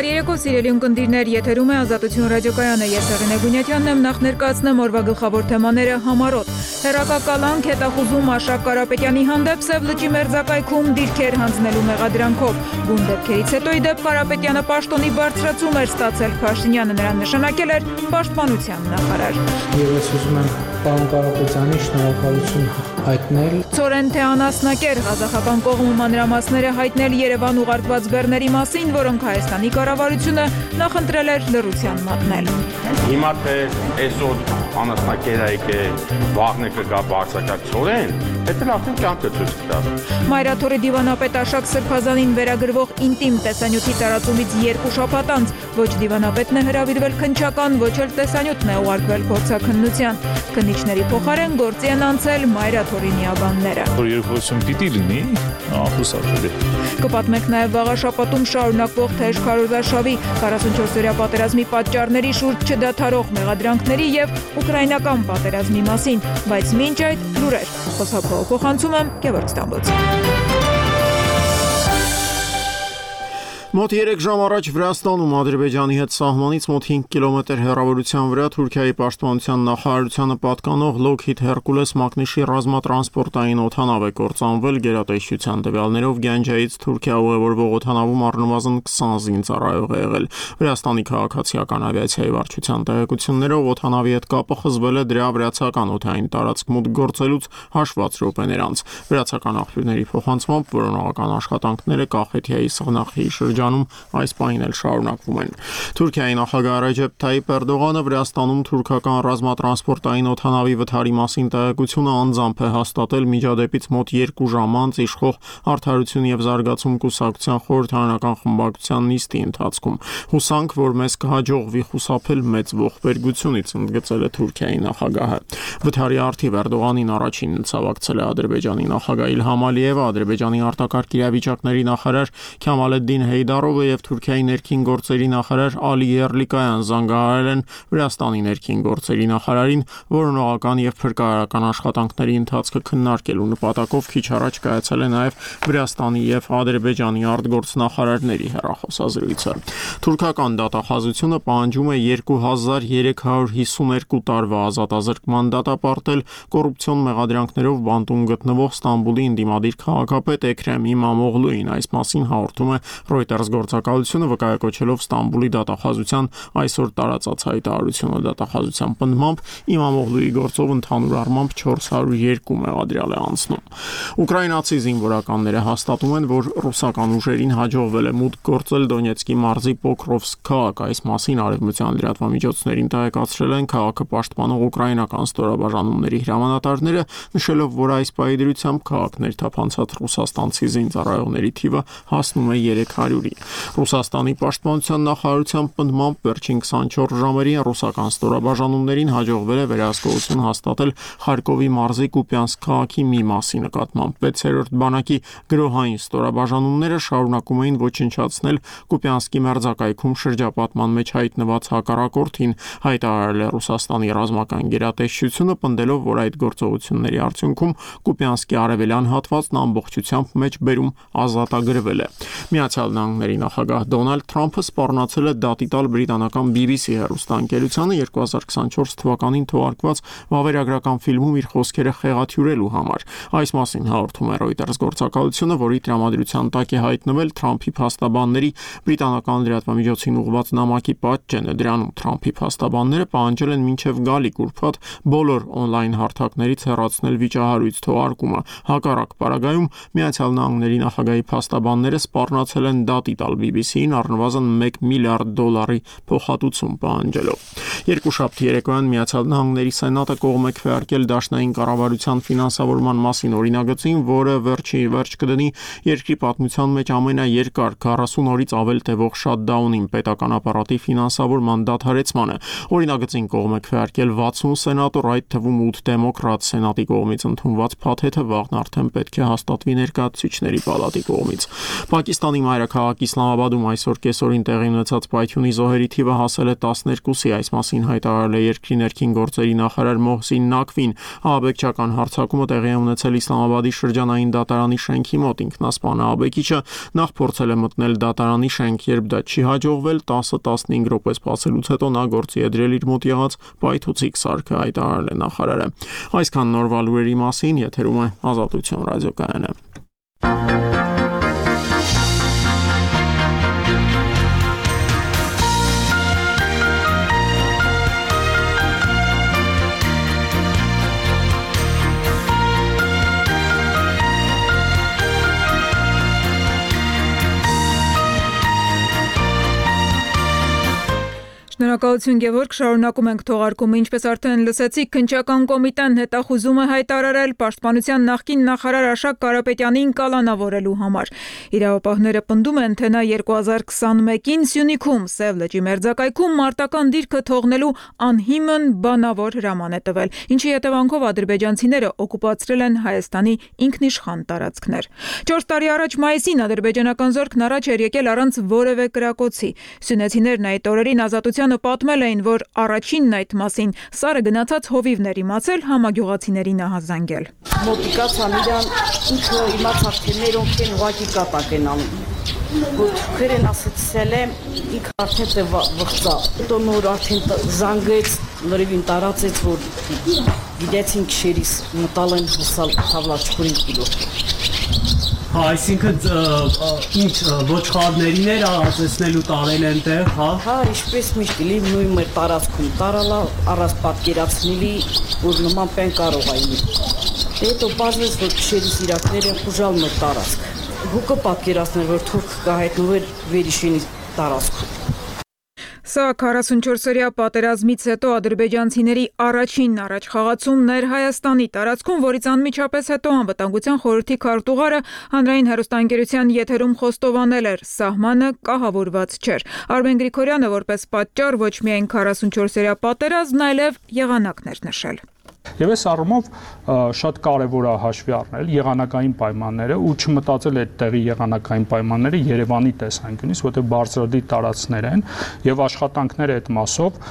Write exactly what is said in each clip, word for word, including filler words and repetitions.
Բարերեկո սիրելի ունկնդիրներ, եթերում է Ազատություն ռադիոկայանը, ես Եղինե Գունյատյանն եմ, նախ ներկայացնեմ օրվա գլխավոր թեմաները համառոտ։ Հեռակակալանք հետախուզում Արշակ Կարապետյանի հանդեպ Սև լճի մերձակայքում դիրքեր հանձնելու մեղադրանքով։ Բուն դեպքերից հետո ի դեպ Կարապետյանը պաշտոնի բարձրացում էր ստացել, Փաշինյանը նրան նշանակել էր պաշտպանության նախարար։ Ես ուզում եմ պարոն Կարապետյանի շնորհակալություն հայտնել։ Ցորեն թե անասնակեր ղազախական կողմը մանրամասները հայտնել Երևան ուղարկված բեռների մասին, որոնք Հայաստանի կառավարությունը նախընտրել էր լռության մատնել։ Հիմա թե այսօր անասնակերը եկե վաղն է կգա բարձրակարգ Ցորեն, դա արդեն կյանքը ցույց կտա։ Մայրաթորի դիվանապետ Աշակ Սրբազանին վերագրվող ինտիմ տեսանյութի տարածումից երկու շաբաթ անց ոչ դիվանապետն է հրավիրվել քննչական, ոչ էլ տեսանյութն է ուղարկվել փորձաքննության։ Քննիչների փոխարեն գործի են անցել Մայրաթորի միաբանները։ Երկուսում պիտի լինի, ախուսափելի։ Կպատմենք նաև վաղաշաբաթում շարունակվող թեժ քարոզարշավի քառասունչորսօրյա պատերազմի պատճառների շուրջ չդադարող մեղադրանքների եւ ուկրաինական պատերազմի մասին, բայց մինչ այդ լուրեր։ Խոսափողը փոխանցում եմ Գևորգ Ստամբոլցին։ Մոտ երեք ժամ առաջ Վրաստանում Ադրբեջանի հետ սահմանից մոտ հինգ կիլոմետր հեռավորության վրա Թուրքիայի պաշտպանության նախարարությանը պատկանող Lockheed Hercules մակնիշի ռազմատրանսպորտային օդանավ է կործանվել գերատեսչության տվյալներով Գանջայից Թուրքիա ուղևորվող օդանավում առնվազն քսան զինծառայող է եղել։ Վրաստանի քաղաքացիական ավիացիայի վարչության տեղեկություններով օդանավի հետ կապը խզվել է դրա վրացական օդային տարածք մուտք գործելուց հաշված րոպեներ անց։ Վրացական աղբյուրների փոխանցմամբ որոնողական աշխատանքները Կախեթիայի սղնախի շրջանում այս պահին էլ շարունակվում են։ Թուրքիայի նախագահ Ռեջեփ Թայիփ Էրդողանը Վրաստանում թուրքական ռազմատրանսպորտային օդանավի վթարի մասին տեղեկությունը անձամբ է հաստատել միջադեպից մոտ երկու ժամ անց իշխող Արդարություն եւ զարգացում կուսակցության խորհրդարանական խմբակցության նիստի ընթացքում։ Հուսանք, որ մեզ կհաջողվի խուսափել մեծ ողբերգությունից, ընդգծել է Թուրքիայի նախագահը։ Վթարի արդիվ Էրդողանին առաջինն ցավակցել է Ադրբեջանի նախագահ Իլհամ Ալիևը, Ադրբեջանի արտակարգ իրավիճակների նախարար Քյամալեդդին Հեյդարովը եւ Թուրքիայի ներքին գործերի նախարար Ալի Երլիկայան զանգահարել են Վրաստանի ներքին գործերի նախարարին որոնողական եւ փրկարարական աշխատանքների ընթացքը քննարկելու նպատակով քիչ առաջ կայացել է նաեւ Վրաստանի եւ Ադրբեջանի արտգործնախարարների հեռախոսազրույցը։ Թուրքական դատախազությունը պահանջում է երկու հազար երեք հարյուր հիսուներկու տարվա ազատազրկման դատապարտել կոռուպցիոն մեղադրանքներով բանտում գտնվող Ստամբուլի ընդդիմադիր քաղաքապետ Էքրեմ Իմամօղլուին։ Այս մասին հաղորդում է Reuters գործակալությունը վկայակոչելով Ստամբուլի դատախազության այսօր տարածած հայտարարությունը։ Դատախազության պնդմամբ Իմամօղլուի գործով ընդհանուր առմամբ չորս հարյուր երկու մեղադրյալ է անցնում։ Ուկրաինացի զինվորականները հաստատում են, որ ռուսական ուժերին հաջողվել է մուտք գործել Դոնեցկի մարզի Պոկրովսկ քաղաք։ Այս մասին արևմտյան լրատվամիջոցներին տեղեկացրել են քաղաքը պաշտպանող ուկրաինական ստորաբաժանումների հրամանատարները, նշելով, որ այս պայդրությամբ քաղաքներ թափանցած ռուսաստանցի զինծառայողների թիվը հասնում է երեք հարյուրի։ Ռուսաստանի պաշտպանության նախարարության պնդմամբ վերջին քսանչորս ժամերին ռուսական ստորաբաժանումներին հաջողվել է վերահսկողություն հաստատել Խարկովի մարզի Կուպյանսկ քաղաքի մի մասի նկատմամբ։ վեցերորդ բանակի գրոհային ստորաբաժանումները շարունակում էին ոչնչացնել Կուպյանսկի մերձակայքում շրջապատման մեջ հայտնված հակառակորդին, հայտարարել է Ռուսաստանի ռազմական գերատեսչությունը, պնդելով, որ այդ գործողությունների արդյունքում Կուպյանսկի արևելյան հատվածն ամբողջությամբ մեջբերում ազատագրվել է։ Միացյալ Նահանգների նախագահ Դոնալդ Թրամփը սպառնացել է դատի տալ բրիտանական B B C հեռուստաընկերությանը երկու հազար քսանչորս թվականին թողարկված վավերագրական ֆիլմում իր խոսքերը խեղաթյուրելու համար։ Այս մասին հաղորդում է Reuters գործակալությունը, որի տրամադրության տակ է հայտնվել Թրամփի փաստաբանների բրիտանական լրատվամիջոցին ուղղված նամակի պատճենը։ Դրանում Թրամփի փաստաբանները պահանջել են մինչև գալիք ուրբաթ բոլոր օնլայն հարթակներից հեռացնել վիճահարույց թողարկումը։ Հակառակ պարագայում Միացյալ Նահանգների նախագահի փաստաբանները սպառնացել են դատի տալ B B C-ին առնվազն մեկ միլիարդ դոլարի փոխհատուցում պահանջելով։ Երկուշաբթի երեկոյան Միացյալ Նահանգների Սենատը կողմ է քվեարկել դաշնային կառավարության ֆինանսավորման մասին օրինագծին, որը վերջի վերջ կդնի երկրի պատմության մեջ ամենաերկար քառասուն օրից ավել տևող շատդաունին պետական ապարատի ֆինանսավորման դադարեցմանը։ Օրինագծին կողմ է քվեարկել վաթսուն սենատոր, այդ թվում ութ դեմոկրատ։ Սենատի կողմից ընդունված փաթեթը վաղն արդեն պետք է հաստատվի ներկայացուցիչների պալատի կողմից։ Հայաստանի մայրաքաղաք Իսլամաբադում այսօր կեսօրին տեղի ունեցած պայթյունի զոհերի թիվը հասել է տասներկուսի, այս մասին հայտարարել է երկրի ներքին գործերի նախարար Մոհսին Նաքվին։ Ահաբեկչական հարձակումը տեղի է ունեցել Իսլամաբադի շրջանային դատարանի շենքի մոտ։ Ինքնասպան ահաբեկիչը նախ փորձել է մտնել դատարանի շենք, երբ դա չի հաջողվել, տասը տասնհինգ րոպե սպասելուց հետո նա գործի է դրել իր մոտ եղած պայթուցիկ սարքը, հայտարարել է նախարարը։ Այսքան նորվա լուրերի մասին, եթերում է Ազատություն ռադիոկայանը։ Շնորհակալություն Գևորգ, շարունակում ենք թողարկումը, ինչպես արդեն լսեցիք, քննչական կոմիտեն հետախուզում է հայտարարել պաշտպանության նախկին նախարար Աշակ Կարապետյանին կալանավորելու համար։ Իրավապահները պնդում են, թե նա երկու հազար քսանմեկին Սյունիքում Սև լճի մերձակայքում մարտական դիրքը թողնելու անհիմն բանավոր հրաման է տվել, ինչի հետևանքով ադրբեջանցիները օկուպացրել են Հայաստանի ինքնիշխան տարածքներ։ Չորս տարի առաջ մայիսին ադրբեջանական զորքն առաջ էր եկել առանց որևէ կրակոցի։ Սյունեցիներն այդ օրերին Ազատության պատմել էին, որ առաջինն այդ մասին Սարը գնացած հովիվներ իմացել, համագյուղացիներին ահազանգել։ Մոտիկացան իրան ինքը իմացավ, թե մերոնք են ուղակի կատակ են անում։ Որ քրեն ասեցել է, ինքը արդեն թե վղծա։ Հետո նոր արդեն զանգեց, լրիվին տարածեց, որ գիտեցին քշերիս մտալ են հուսալ թավլաչքուրին կիլո։ Հա, այսինքն ինչ ոչխարներին էր ազդեցնելու տարել են տեղ, հա։ Հա, ինչպես միշտ լի նույն մեր տարածքում տարալա առանց պատկերացնելի, որ նման բան կարող է լինել։ Հետո բացվեց, որ քշերիս իրակներ են խուժալ մեր տարածք։ Հուկը պատկերացնել, որ թուրք կհայտնվեր Վերիշինի տարածքում։ Սա քառասունչորսօրյա պատերազմից հետո ադրբեջանցիների առաջին առաջխաղացումն էր Հայաստանի տարածքում, որից անմիջապես հետո Անվտանգության խորհրդի քարտուղարը հանրային հեռուստաընկերության եթերում խոստովանել էր՝ սահմանը կահավորված չէր։ Արմեն Գրիգորյանը որպես պատճառ ոչ միայն քառասունչորսօրյա պատերազմն, այլև եղանակներ նշել։ Եվ այս առումով շատ կարևոր է հաշվի առնել եղանակային պայմանները ու չմտածել այդ տեղի եղանակային պայմանները Երևանի տեսանկյունից, որտեղ բարձրադիր տարածքներ են եւ աշխատանքները այդ մասով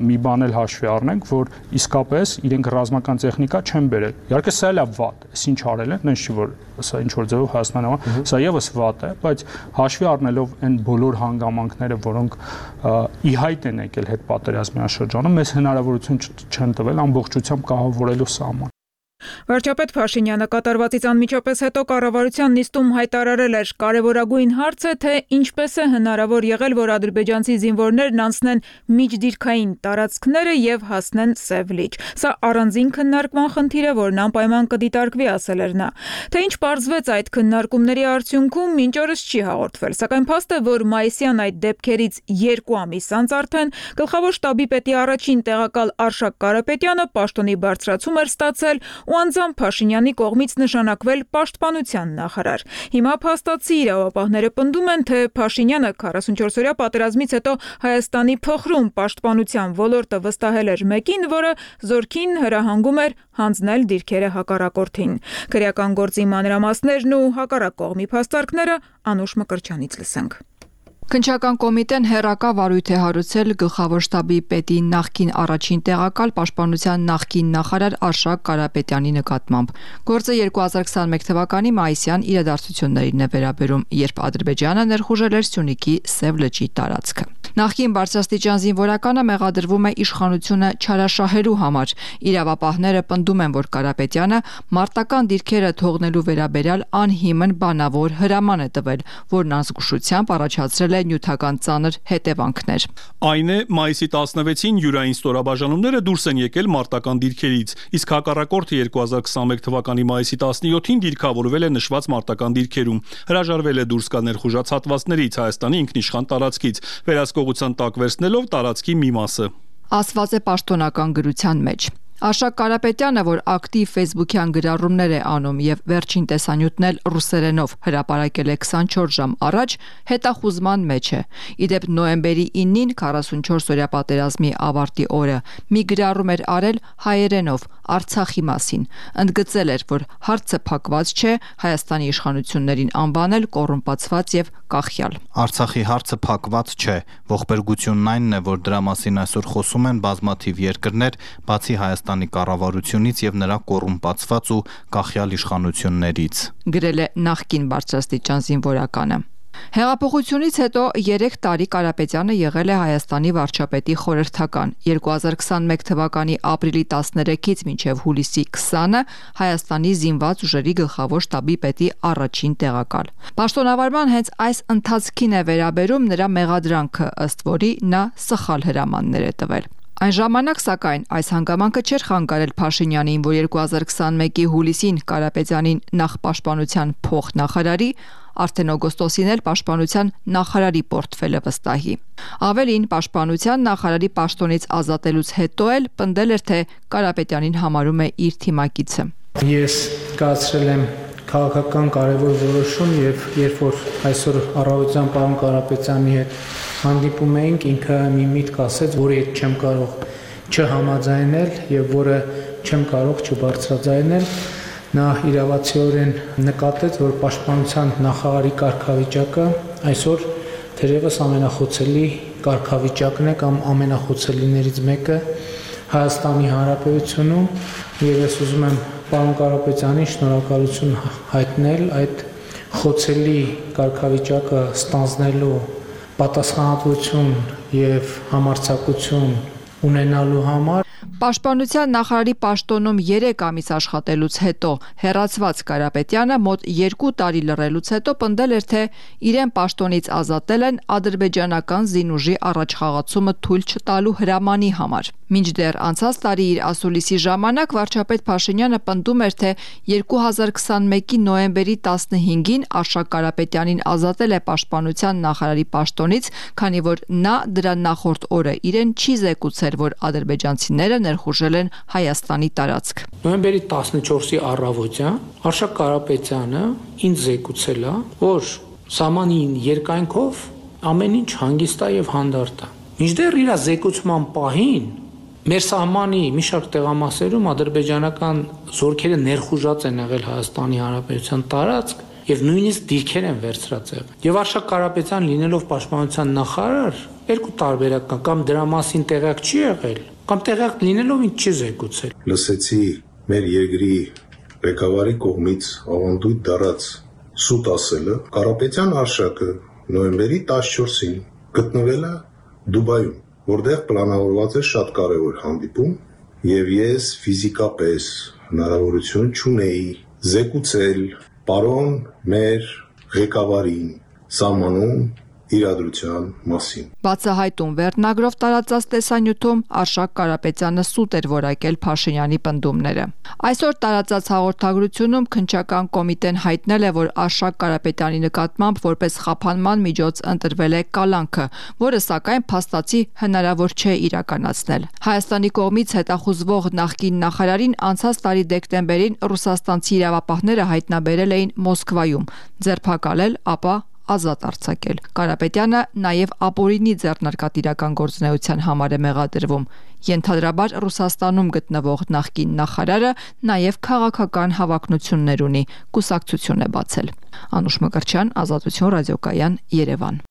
մի բան էլ հաշվի առնենք, որ իսկապես իրենք ռազմական տեխնիկա չեն բերել։ Իհարկե սա էլ է վատ, այս ինչ արել են, այնց չի որ սա ինչ որ ձևով Հայաստանում, սա եւս վատ է, բայց հաշվի առնելով այն բոլոր հանգամանքները, որոնք ի հայտ են եկել հետ պատերազմյան շրջանում, մեզ հնարավորություն չեն տվել ամբողջությամբ կահավորելու սահման։ Վարչապետ Փաշինյանը կատարվածից անմիջապես հետո կառավարության նիստում հայտարարել էր՝ կարևորագույն հարց է, թե ինչպես է հնարավոր եղել, որ ադրբեջանցի զինվորներն անցնեն միջդիրքային տարածքները եւ հասնեն Սև լիճ։ Սա առանձին քննարկման խնդիր է, որն անպայման կդիտարկվի, ասել էր նա։ Թե ինչ պարզվեց այդ քննարկումների արդյունքում, մինչ օրս չի հաղորդվել, սակայն փաստ է, որ մայիսյան այդ դեպքերից երկու ամիս անց արդեն գլխավոր շտաբի պետի առաջին տեղակալ Արշակ Կարապետյանը պաշտոնի բարձրացում էր ստացել ու անձամբ Փաշինյանի կողմից նշանակվել պաշտպանության նախարար։ Հիմա փաստացի իրավապահները պնդում են, թե Փաշինյանը քառասունչորսօրյա պատերազմից հետո Հայաստանի փխրուն պաշտպանության ոլորտը վստահել էր մեկին, որը զորքին հրահանգում էր հանձնել դիրքերը հակառակորդին։ Քրեական գործի մանրամասներն ու հակառակ կողմի փաստարկները Անուշ Մկրտչյանից լսենք։ Քննչական կոմիտեն հերակա վարույթ է հարուցել գլխավոր շտաբի պետի նախկին առաջին տեղակալ պաշտպանության նախկին նախարար Արշակ Կարապետյանի նկատմամբ։ Գործը երկու հազար քսանմեկ թվականի մայիսյան իրադարձություններին է վերաբերում, երբ Ադրբեջանը ներխուժել էր Սյունիքի Սև լճի տարածքը։ Նախկին բարձրաստիճան զինվորականը մեղադրվում է իշխանությունը չարաշահելու համար։ Իրավապահները պնդում են, որ Կարապետյանը մարտական դիրքերը թողնելու վերաբերյալ անհիմն բանավոր հրաման է տվել, որն անզգուշությամբ առաջացրել է նյութական ծանր հետևանքներ։ Այն է, մայիսի տասնվեցին յուրային ստորաբաժանումները դուրս են եկել մարտական դիրքերից, իսկ հակառակորդը երկու հազար քսանմեկ թվականի մայիսի տասնյոթին դիրքավորվել է նշված մարտական դիրքերում, հրաժարվել է դուրս գալ ներխուժած հատվածներից Հայաստանի ինքնիշխան տարածքից, վերահսկողության տակ վերցնելով տարածքի մի մասը։ Ասված է պաշտոնական գրության մեջ։ Արշակ Կարապետյանը, որ ակտիվ Facebook-յան գրառումներ է անում եւ վերջին տեսանյութն էլ ռուսերենով հրապարակել է քսանչորս ժամ առաջ, հետախուզման մեջ է։ Իդեպ նոյեմբերի իննին քառասունչորս օրյա պատերազմի ավարտի օրը մի գրառում էր արել հայերենով Արցախի մասին։ Ընդգծել էր, որ հարցը փակված չէ, Հայաստանի իշխանություններին անվանել կոռումպացված եւ կախյալ։ Արցախի հարցը փակված չէ, ողբերգությունն այնն է, որ դրա մասին այսօր խոսում են բազմաթիվ երկրներ, բացի Հայաստանի կառավարությունից եւ նրա կոռումպացված ու կախյալ իշխանություններից, գրել է նախկին բարձրաստիճան զինվորականը։ Հեղափոխությունից հետո երեք տարի Կարապետյանը եղել է Հայաստանի վարչապետի խորհրդական, երկու հազար քսանմեկ թվականի ապրիլի տասներեքից մինչև հուլիսի քսանը Հայաստանի զինված ուժերի գլխավոր շտաբի պետի առաջին տեղակալ։ Պաշտոնավարման հենց այս ընթացքին է վերաբերում նրա մեղադրանքը, ըստ որի նա սխալ հրամաններ է տվել։ Այն ժամանակ, սակայն, այս հանգամանքը չէր խանգարել Փաշինյանին, որ երկու հազար քսանմեկի հուլիսին Կարապետյանին նախ պաշտպանության փոխնախարարի, արդեն օգոստոսին էլ պաշտպանության նախարարի պորտֆելը վստահի։ Ավելին, պաշտպանության նախարարի պաշտոնից ազատելուց հետո էլ պնդել էր, թե Կարապետյանին համարում է իր թիմակիցը։ Ես կայացրել եմ քաղաքական կարևոր որոշում եւ երբ որ այսօր առավոտյան պարոն Կարապետյանի հետ հանդիպում էինք, ինքը մի միտք ասեց, որի հետ չեմ կարող չհամաձայնել եւ որը չեմ կարող չբարձրաձայնել։ Նա իրավացիորեն նկատեց, որ պաշտպանության նախարարի կարգավիճակը այսօր թերևս ամենախոցելի կարգավիճակն է կամ ամենախոցելիներից մեկը Հայաստանի Հանրապետությունում եւ ես ուզում եմ պարոն Կարապետյանին շնորհակալություն հայտնել այդ խոցելի կարգավիճակը ստանձնելու պատասխանատվություն եւ համարձակություն ունենալու համար։ Պաշտպանության նախարարի պաշտոնում երեք ամիս աշխատելուց հետո հեռացված Կարապետյանը մոտ երկու տարի լռելուց հետո պնդել էր, թե իրեն պաշտոնից ազատել են ադրբեջանական զինուժի առաջխաղացումը թույլ չտալու հրամանի համար։ Մինչդեռ անցած տարի իր ասուլիսի ժամանակ վարչապետ Փաշինյանը պնդում էր, թե երկու հազար քսանմեկի նոյեմբերի տասնհինգին Արշակ Կարապետյանին ազատել է պաշտպանության նախարարի պաշտոնից, քանի որ նա դրա նախորդ օրը իրեն չի զեկուցել, որ ադրբեջանցիները ներխուժել են Հայաստանի տարածք։ Նոյեմբերի տասնչորսի առավոտյան Արշակ Կարապետյանը ինձ զեկուցել է, որ սահմանին երկայնքով ամեն ինչ հանգիստ է եւ հանդարտ է։ Մինչդեռ իր զեկուցման պահին մեր սահմանի մի շարք տեղամասերում ադրբեջանական զորքերը ներխուժած են եղել Հայաստանի Հանրապետության տարածք եւ նույնիսկ դիրքեր են վերցրած եղել։ Եվ Արշակ Կարապետյան լինելով պաշտպանության նախարար, երկու տարբերակ կա, կամ դրա մասին տեղյակ չի եղել, կամ տեղյակ լինելով ինձ չի զեկուցել։ Լսեցի մեր երկրի ղեկավարի կողմից ավանդույթ դառած սուտ ասելը, Կարապետյան Արշակը նոյեմբերի տասնչորսին գտնվել է Դուբայում, որտեղ պլանավորված է շատ կարևոր հանդիպում, եւ ես ֆիզիկապես հնարավորություն չունեի զեկուցել պարոն մեր ղեկավարին սահմանում իրադրության մասին։ Բացահայտում վերնագրով տարածած տեսանյութում Արշակ Կարապետյանը սուտ էր որակել Փաշինյանի պնդումները։ Այսօր տարածած հաղորդագրությունում քննչական կոմիտեն հայտնել է, որ Արշակ Կարապետյանի նկատմամբ որպես խափանման միջոց ընտրվել է կալանքը, որը սակայն փաստացի հնարավոր չէ իրականացնել։ Հայաստանի կողմից հետախուզվող նախկին նախարարին անցած տարի դեկտեմբերին ռուսաստանցի իրավապահները հայտնաբերել էին Մոսկվայում, ձերբակալել, ապա ազատ արձակել։ Կարապետյանը նաև ապօրինի ձեռնարկատիրական գործունեության համար է մեղադրվում։ Ենթադրաբար Ռուսաստանում գտնվող նախկին նախարարը նաև քաղաքական հավակնություններ ունի, կուսակցություն է բացել։ Անուշ Մկրտչյան, Ազատություն ռադիոկայան, Երևան։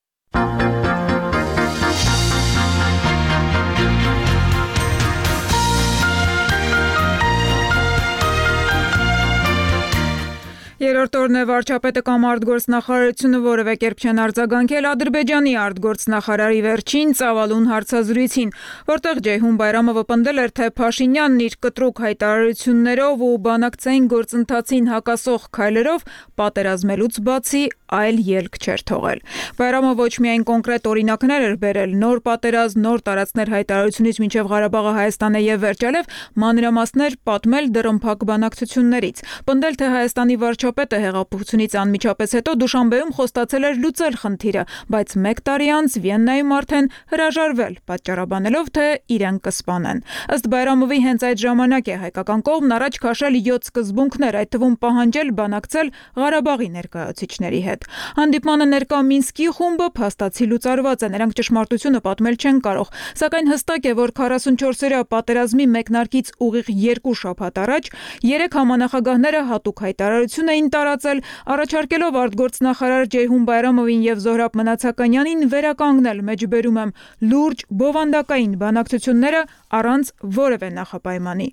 Երրորդ օրն է վարչապետը կամ արտգործնախարարությունը որևէ կերպ չեն արձագանքել Ադրբեջանի արտգործնախարարի վերջին ծավալուն հարցազրույցին, որտեղ Ջեյհուն Բայրամովը պնդել էր, թե Փաշինյանն իր կտրուկ հայտարարություններով ու բանակցային գործընթացին հակասող քայլերով պատերազմելուց բացի այլ ելք չէր թողել։ Բայրամը ոչ միայն կոնկրետ օրինակներ էր բերել նոր պատերազմ, նոր տարածքներ հայտարարությունից մինչև Ղարաբաղը Հայաստան է եւ վերջալև մանրամասներ պատմել դռնփակ բանակցություններից։ Պնդել, թե Հայաստանի վարչապետը հեղափոխությունից անմիջապես հետո Դուշանբեում խոստացել էր լուծել խնդիրը, բայց մեկ տարի անց Վիեննայում արդեն հրաժարվել, պատճառաբանելով, թե իրեն կսպանեն։ Ըստ Բայրամովի հենց այդ ժամանակ է հայկական կողմն առաջ քաշել յոթ սկզբունքներ, այդ թվում պահանջել բանակցել Ղարաբաղի ներկայացուցիչների հետ։ Հանդիպմանը ներկա Մինսկի խումբը փաստացի լուծարված է, նրանք ճշմարտությունը պատմել չեն կարող, սակայն հստակ է, որ քառասունչորսօրյա պատերազմի մեկնարկից ուղիղ երկու շաբաթ առաջ երեք համանախագահները հատուկ հայտարարություն էին տարածել, առաջարկելով արտգործնախարար Ջեյհուն Բայրամովին եւ Զոհրաբ Մնացականյանին վերականգնել, մեջբերում եմ, լուրջ բովանդակային բանակցությունները առանց որևէ նախապայմանի։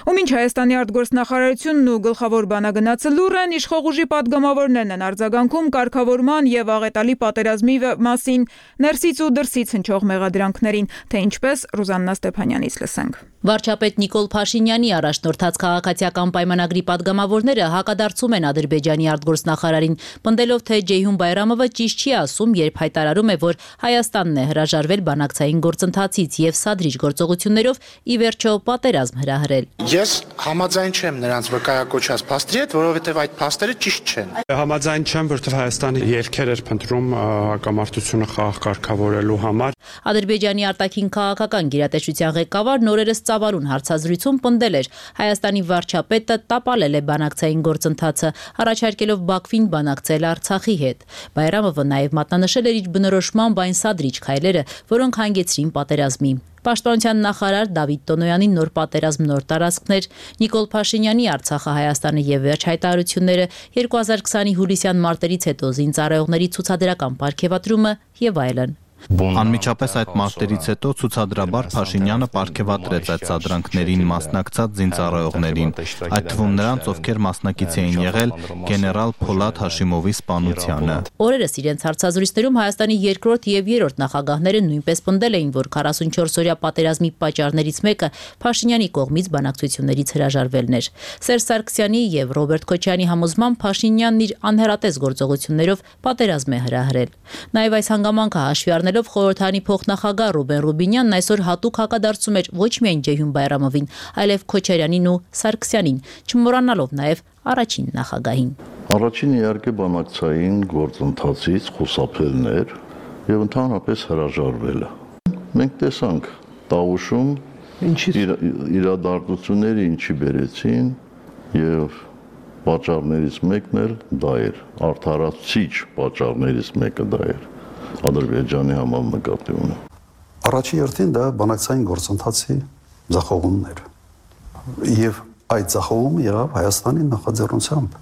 Ու մինչ Հայաստանի արտգործնախարարությունն ու գլխավոր բանագնացը լուռ են, իշխող ուժի պատգամավորներն են արձագանքում կարգավորման եւ աղետալի պատերազմի մասին ներսից ու դրսից հնչող մեղադրանքներին, թե ինչպես Ռուզաննա Ստեփանյանից լսենք։ Վարչապետ Նիկոլ Փաշինյանի առաջնորդած քաղաքացիական պայմանագրի պատգամավորները հակադարձում են Ադրբեջանի արտգործնախարարին, պնդելով, թե Ջեյհուն Բայրամովը ճիշտ չի ասում, երբ հայտարարում է, որ Հայաստանն է հրաժարվել բանակցային գործընթացից եւ սադրիչ գործողություններով ի վերջո պատերազմ հրահրել։ Ես համաձայն չեմ նրանց վկայակոչած փաստերի հետ, որովհետեւ այդ փաստերը ճիշտ չեն։ Համաձայն չեմ, որովհետեւ Հայաստանը ելքեր էր փնտրում հակամարտությունը խաղաղ կարգավորելու համար։ Ադրբեջանի արտաքին քաղաքական գերատեսչության ղեկավարն օրերս Ծավալուն հարցազրույցում պնդել էր, Հայաստանի վարչապետը տապալել է բանակցային գործընթացը, առաջարկելով Բաքվին բանակցել Արցախի հետ։ Բայրամովը նաև մատնանշել էր իր բնորոշմամբ այն սադրիչ քայլերը, որոնք հանգեցրին պատերազմի։ Պաշտպանության նախարար Դավիթ Տոնոյանի նոր պատերազմ, նոր տարածքներ, Նիկոլ Փաշինյանի Արցախը Հայաստանը եւ վերջ հայտարարությունները, երկու հազար քսանի հուլիսյան մարտերից հետո զինծառայողների ցուցադրական պարգևատրումը եւ այլն։ Անմիջապես այդ մարտերից հետո ցուցադրաբար Փաշինյանը պարգևատրեց այդ սադրանքներին մասնակցած զինծառայողներին, այդ թվում նրանց, ովքեր մասնակից էին եղել գեներալ Փոլադ Հաշիմովի սպանությանը։ Օրերս իրենց հարցազրույցներում Հայաստանի երկրորդ եւ երրորդ նախագահները նույնպես պնդել էին, որ քառասունչորսօրյա պատերազմի պատճառներից մեկը Փաշինյանի կողմից բանակցություններից հրաժարվելն էր։ Սերժ Սարգսյանի եւ Ռոբերտ Քոչարյանի համոզմամբ Փաշինյանն իր անհերատես գործողություններով պատերազմ է հրահրել։ Նաեւ այս հանգամանքը հաշվի առնելով խորհրդանի փոխնախագահ Ռուբեն Ռուբինյանն այսօր հատուկ հակադարձում էր ոչ միայն Ջեյհուն Բայրամովին, այլև Քոչարյանին ու Սարգսյանին, չմոռանալով նաև առաջին նախագահին։ Առաջին իհարկե բանակցային գործընթացից խուսափելն էր եւ ընդհանրապես հրաժարվելը։ Մենք տեսանք Տավուշում իրադարձությունները ինչի բերեցին եւ պատճառներից մեկն էլ դա էր, արդարացիչ պատճառներից մեկը դա էր։ Ադրբեջանի համար նկատի ունեմ։ Առաջի հերթին դա բանակցային գործընթացի ձախողումն էր։ Եվ այդ ձախողումը եղավ Հայաստանի նախաձեռնությամբ։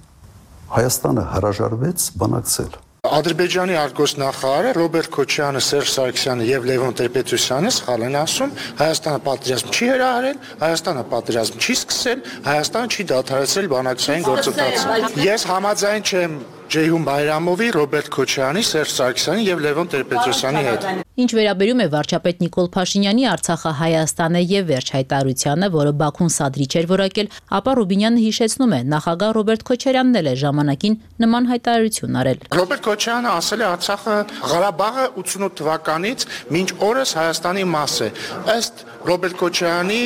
Հայաստանը հրաժարվեց բանակցել։ Ադրբեջանի արտգործնախարարը Ռոբերտ Քոչյանը, Սերժ Սարգսյանը եւ Լևոն Տեր-Պետրոսյանը սխալ են ասում, Հայաստանը պատերազմ չի հրահրել, Հայաստանը պատերազմ չի սկսել, Հայաստանը չի դադարեցրել բանակցային գործընթացը։ Ես համաձայն չեմ Ջեյհուն Բայրամովի, Ռոբերտ Քոչյանի, Սերժ Սարգսյանի եւ Լևոն Տեր-Պետրոսյանի հետ։ Ինչ վերաբերում է վարչապետ Նիկոլ Փաշինյանի Արցախը Հայաստանը եւ վերջ հայտարարությանը, որը Բաքուն սադրիչ էր որակել, ապա Ռուբինյանը հիշեցնում է, նախագահ Ռոբերտ Քոչարյանն էլ է ժամանակին նման հայտարարություն արել։ Ռոբերտ Քոչյանը ասել է Արցախը Ղարաբաղը ութսունութ թվականից մինչ օրս Հայաստանի մաս է։ Ըստ Ռոբերտ Քոչարյանի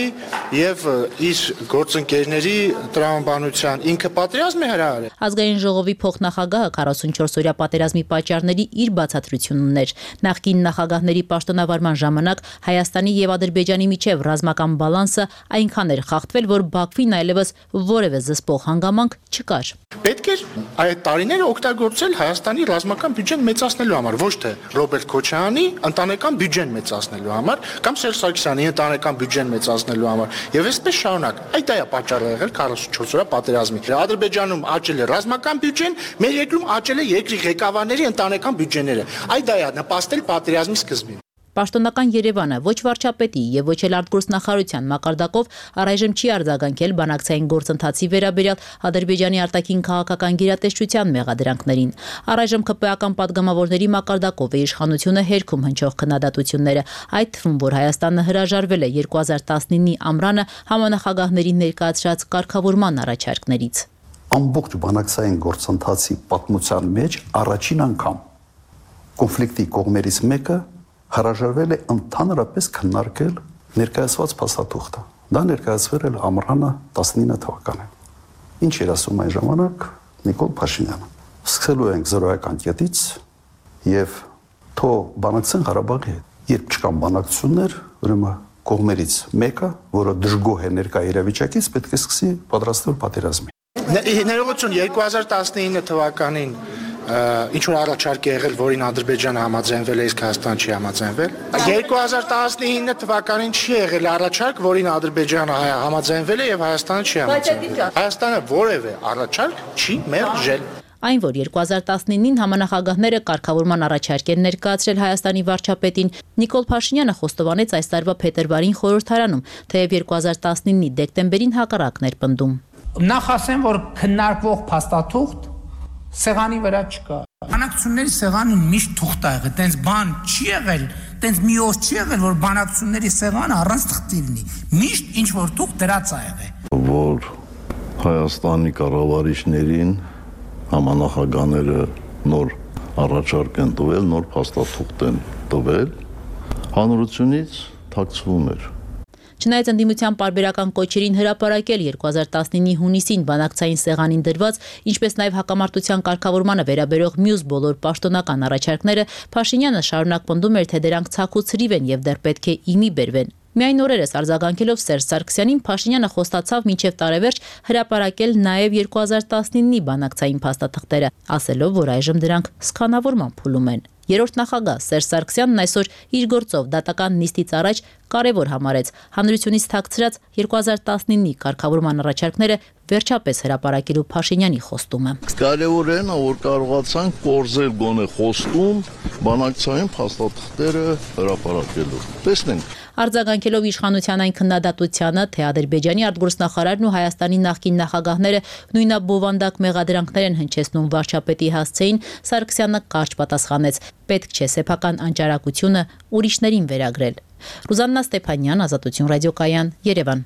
եւ իր գործընկերների տրամաբանության ինքը պատերազմ է հրահրել։ Ազգային ժողովի փոխնախագահը քառասունչորսօրյա պատերազմի պատճառների իր բացատրությունն ուներ։ Նախկին նախագահների պաշտոնավարման ժամանակ Հայաստանի եւ Ադրբեջանի միջև ռազմական բալանսը այնքան էր խախտվել, որ Բաքվին այլևս որևէ զսպող հանգամանք չկար։ Պետք էր այդ տարիները օգտագործել Հայաստանի ռազմական բյուջեն մեծացնելու համար, ոչ թե Ռոբերտ Քոչարյանի ընտանեկան բյուջեն մեծացնելու համար կամ Սերժ Սարգսյանի ընտանեկան բյուջեն մեծացնելու համար։ Եվ այսպես շարունակ։ Այդ դա է պատճառը եղել քառասունչորսօրյա պատերազմի։ Ադրբեջանում աճել է ռազմական բյուջեն, մեր երկրում աճել է երկրի ղեկավարների ընտանեկան բյուջեները։ Այդ դա է նպաստել պատերազմի սկզբին։ Պաշտոնական Երևանը ոչ վարչապետի եւ ոչ էլ արտգործնախարարության մակարդակով առայժմ չի արձագանքել բանակցային գործընթացի վերաբերյալ Ադրբեջանի արտաքին քաղաքական գերատեսչության մեղադրանքներին։ Առայժմ ԿՊ-ական падգամավորների մակարդակով է իշխանությունը հերքում հնչող քննադատությունները, այդ թվում, որ Հայաստանը հրաժարվել է երկու հազար տասնինի ամռանը համանախագահների ներկայացրած կարգավորման առաջարկներից։ ամբողջ բանակցային գործընթացի պատմության մեջ առաջին անգամ կոնֆլիկտի կողմերից մեկը հրաժարվել է ընդհանրապես քննարկել ներկայացված փաստաթուղթը։ Դա ներկայացվել էր ամռանը տասնինը թվականին։ Ինչ էր ասում այն ժամանակ Նիկոլ Փաշինյանը։ Սկսելու ենք զրոյական կետից եւ թող բանակցեն Ղարաբաղի հետ։ Երբ չկան բանակցություններ, ուրեմն կողմերից մեկը, որը դժգոհ է ներկա իրավիճակից, պետք է սկսի պատրաստվել պատերազմի։ Ներողություն, երկու հազար տասնինը թվականին ինչ որ առաջարկ է եղել, որին Ադրբեջանը համաձայնվել է, իսկ Հայաստանը չի համաձայնվել։ երկու հազար տասնինը թվականին չի եղել առաջարկ, որին Ադրբեջանը համաձայնվել է եւ Հայաստանը չի համաձայնվել։ Հայաստանը որևէ առաջարկ չի մերժել։ Այն, որ երկու հազար տասնինին համանախագահները կարգավորման առաջարկ են ներկայացրել Հայաստանի վարչապետին, Նիկոլ Փաշինյանը խոստովանեց այս տարվա փետրվարին խորհրդարանում, թեև երկու հազար տասնինի դեկտեմբերին հակառակն էր պնդում։ Նախ ասեմ, որ քննարկվող փաստաթուղթ սեղանի վրա չկա։ Բանակցությունների սեղանը միշտ թուղթ ա եղել, տենց բան չի եղել, տենց մի օր չի եղել, որ բանակցությունների սեղանը առանց թղթի լինի։ Միշտ ինչ որ թուղթ դրած ա եղել։ Որ Հայաստանի կառավարիչներին համանախագահները նոր առաջարկ են տվել, նոր փաստաթուղթ են տվել, հանրությունից թաքցվում էր։ Չնայած ընդդիմության պարբերական կոչերին հրապարակել երկու հազար տասնինի հունիսին բանակցային սեղանին դրված, ինչպես նաև հակամարտության կարգավորմանը վերաբերող մյուս բոլոր պաշտոնական առաջարկները, Փաշինյանը շարունակ պնդում էր, թե դրանք ցաք ու ցրիվ են եւ դեռ պետք է իմի բերվեն։ Միայն օրերս արձագանքելով Սերժ Սարգսյանին, Փաշինյանը խոստացավ մինչև տարեվերջ հրապարակել նաև երկու հազար տասնինի բանակցային փաստաթղթերը, ասելով, որ այժմ դրանք սկանավորման փուլում են։ Երրորդ նախագահ Սերժ Սարգսյանն այսօր իր գործով դատական նիստից առաջ կարևոր համարեց հանրությունից թաքցրած երկու հազար տասնինի կարգավորման առաջարկները վերջապես հրապարակելու Փաշինյանի խոստումը։ Կարևոր է, որ կարողացանք կորզել գոնե խոստում բանակցային փաստաթղթերը հրապարակելու։ Տեսնենք։ Արձագանքելով իշխանության այն քննադատությանը, թե Ադրբեջանի արտգործնախարարն ու Հայաստանի նախկին նախագահները նույնաբովանդակ մեղադրանքներ են հնչեցնում վարչապետի հասցեին, Սարգսյանը կարճ պատասխանեց. պետք չէ սեփական անճարակությունը ուրիշներին վերագրել։ Ռուզաննա Ստեփանյան, Ազատություն ռադիոկայան, Երևան։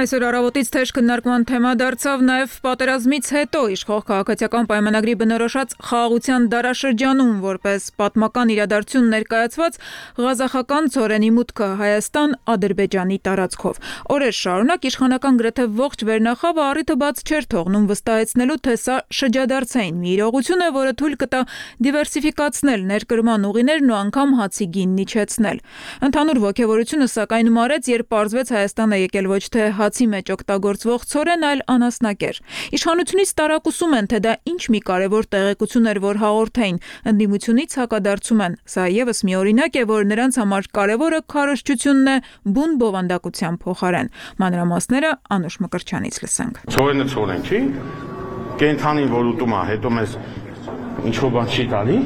Այսօր առավոտից թեժ քննարկման թեմա դարձավ նաև պատերազմից հետո իշխող քաղաքացիական պայմանագրի բնորոշած խաղաղության դարաշրջանում, որպես պատմական իրադարձություն ներկայացված ղազախական ծորենի մուտքը Հայաստան Ադրբեջանի տարածքով։ Օրեր շարունակ իշխանական գրեթե ողջ վերնախավը առիթը բաց չէր թողնում վստահեցնելու, թե սա շրջադարձային մի իրողություն է, որը թույլ կտա դիվերսիֆիկացնել ներկրման ուղիներն ու անգամ հացի գինն իջեցնել։ Ընդհանուր ոգևորությունը սակայն մարեց, երբ պարզվեց Հայաստանը եկել ոչ թե հացի մեջ օգտագործվող ցորեն, այլ անասնակեր։ Իշխանությունից տարակուսում են, թե դա ինչ մի կարևոր տեղեկություն էր, որ հաղորդեին, ընդդիմությունից հակադարձում են։ Սա եւս մի օրինակ է, որ նրանց համար կարևորը քարոզչությունն է բուն բովանդակության փոխարեն։ Մանրամասները Անուշ Մկրտչյանից լսենք։ Ցորենը ցորեն չի։ Կենթանին որ ուտում է, հետո մեզ ինչ որ բան չի տալի։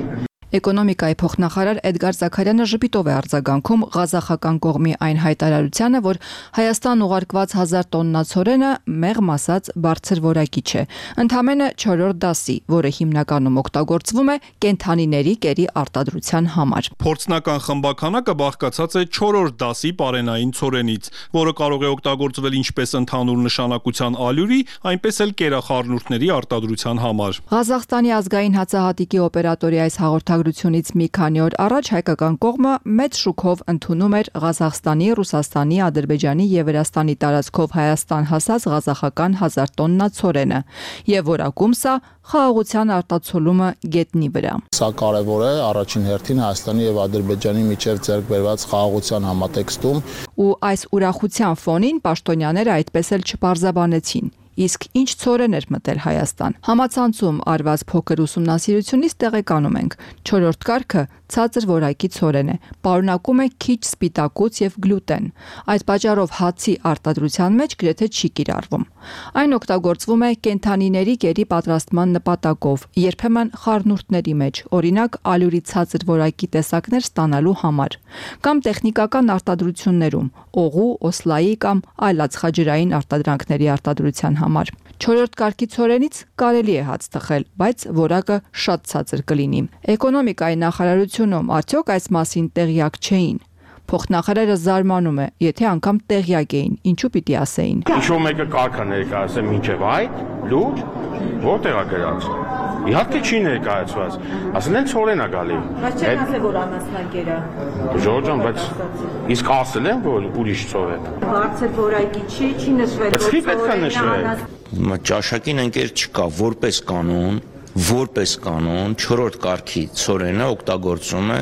Էկոնոմիկայի փոխնախարար Էդգար Զաքարյանը ժպիտով է արձագանքում ղազախական կողմի այն հայտարարությանը, որ Հայաստան ուղարկված հազար տոննա ցորենը մեղմ ասած բարձր որակի չէ, ընդամենը չորրորդ դասի, որը հիմնականում օգտագործվում է կենդանիների կերի արտադրության համար։ Փորձնական խմբականակը բաղկացած է չորրորդ դասի պարենային ցորենից, որը կարող է օգտագործվել ինչպես ընդհանուր նշանակության ալյուրի, այնպես էլ կերախառնուրդների արտադրության համար։ Ղազախստանի ազգային հացահատիկի օպերատորի այս հաղորդագրությունը Ից մի քանի օր առաջ հայկական կողմը մեծ շուքով ընդունում էր Ղազախստանի, Ռուսաստանի, Ադրբեջանի եւ Վրաստանի տարածքով Հայաստան հասած ղազախական հազար տոննա ցորենը եւ որակում սա խաղաղության արտացոլումը գետնի վրա։ Սա կարևոր է առաջին հերթին Հայաստանի եւ Ադրբեջանի միջև ձեռք բերված խաղաղության համատեքստում։ Ու այս ուրախության ֆոնին պաշտոնյաները այդպես էլ չպարզաբանեցին։ Իսկ ինչ ցորեն էր մտել Հայաստան։ Համացանցում արված փոքր ուսումնասիրությունից տեղեկանում ենք. չորրորդ կարգը ցածր որակի ցորեն է, պարունակում է քիչ սպիտակուց եւ գլուտեն։ Այդ պատճառով հացի արտադրության մեջ գրեթե չի կիրառվում։ Այն օգտագործվում է կենդանիների կերի պատրաստման նպատակով, երբեմն խառնուրդների մեջ, օրինակ ալյուրի ցածր որակի տեսակներ ստանալու համար, կամ տեխնիկական արտադրություններում, օղու, օսլայի կամ այլ ածխաջրային արտադրանքների արտադրության համար։ Չորրորդ կարգի ցորենից կարելի է հաց թխել, բայց որակը շատ ցածր կլինի։ Էկոնոմիկայի նախարարությունում արդյոք այս մասին տեղյակ չէին։ Փոխնախարարը զարմանում է, եթե անգամ տեղյակ էին, ինչու պիտի ասեին։ Ինչ-որ մեկը կարգա ներկայացել մինչև այդ լուր, որտեղ է գրած։ Իհարկե չի ներկայացված։ Ասել են ցորեն է գալի։ Բայց չեն ասել, որ անասնագերա։ Ժողովուրդ ջան, բայց իսկ ասել են, որ ուրիշ ցորեն։ Բարձր որակի չի, չի նշվել, որ ցորենն է։ Ճաշակին ընկեր չկա, որպես կանոն, որպես կանոն չորրորդ կարգի ցորենը օգտագործում է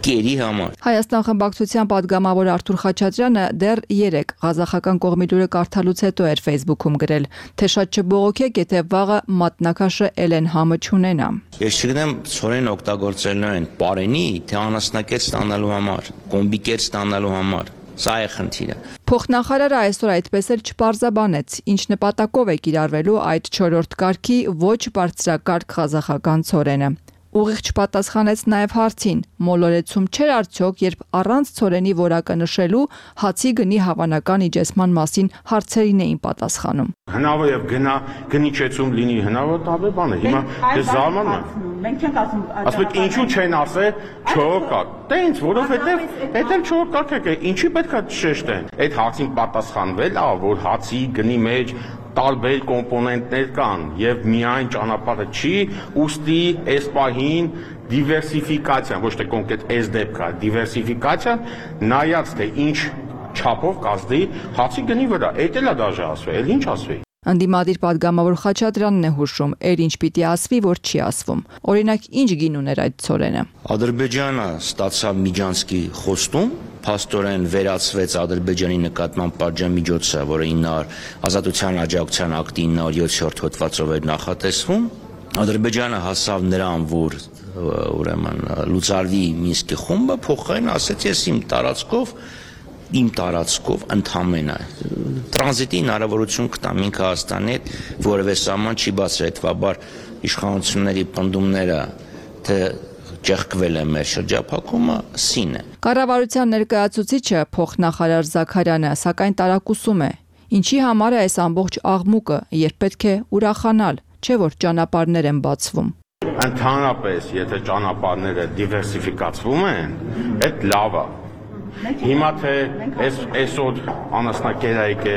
կերի համար։ Հայաստան խմբակցության падգամավոր Արթուր Խաչատրյանը դեռ երեկ ղազախական կողմի լուրը կարդալուց հետո էր Facebook-ում գրել, թե շատ չբողոքեք, եթե վաղը մատնակաշը Էլեն համը չունենա։ Ես չգիտեմ ցորեն օգտագործելու են պարենի, թե անասնակեր ստանալու համար, կոմբիկեր ստանալու համար։ Սա է խնդիրը։ Փոխնախարարը այսօր այդպես էլ չպարզաբանեց, ինչ նպատակով է կիրառվելու այդ չորրորդ կարգի ոչ բարձրակարգ ղազախական ցորենը։ Ուղիղ չպատասխանեց նաև հարցին, մոլորեցում չէր արդյոք, երբ առանց ցորենի որակը նշելու հացի գնի հավանական իջեցման մասին հարցերին էին պատասխանում։ Հնարավոր է գնա գնիչեցում լինի, հնարավոր տարբեր բան է։ Հիմա ես զարմանում եմ։ Մենք չենք ասում, ասում եք ինչու չեն ասել չորրորդ կարգ։ Դե ինձ, որովհետև դա էլ չորրորդ կարգ է, ինչի պետքա շեշտեն։ Այդ հարցին պատասխանվել ա, որ հացի գնի մեջ տարբեր կոմպոնենտներ կան եւ միայն ճանապարհը չի, ուստի այս պահին դիվերսիֆիկացիան, ոչ թե կոնկրետ այս դեպքը, դիվերսիֆիկացիան նայած թե ինչ չափով կազդի հացի գնի վրա, այդ էլ է դաժե ասվել, էլ ինչ ասվի։ Անդիմադիր падգամավոր Խաչատրյանն է հուշում, էր ինչ պիտի ասվի, որ չի ասվում։ Օրինակ, ինչ գին ուներ այդ ցորենը։ Ադրբեջանը ստացավ Միջանցկի խոստում, փաստորեն վերացվեց Ադրբեջանի նկատմամբ պատժամիջոցը, որը ազատության աջակցության ակտի ինը հարյուր յոթերորդ հոդվածով էր նախատեսվում։ Ադրբեջանը հասավ նրան, որ ուրեմն լուծարվի Մինսկի խումբը, փոխարեն ասեց, ես իմ տարածքով իմ տարածքով ընդամենը տրանզիտի հնարավորություն կտամ ինքը Հայաստանի հետ, որևէ սահման չի բացել, հետվաբար իշխանությունների պնդումները, թե ճեղքվել է մեր շրջափակումը, սին է։ Կառավարության ներկայացուցիչը փոխնախարար Զաքարյանը սակայն տարակուսում է, ինչի համար է այս ամբողջ աղմուկը, երբ պետք է ուրախանալ, չէ՞ որ ճանապարհներ են բացվում։ Ընդհանրապես, եթե ճանապարհները դիվերսիֆիկացվում են, այդ լավ է։ Հիմա թե այս այսօր անասնակերայք է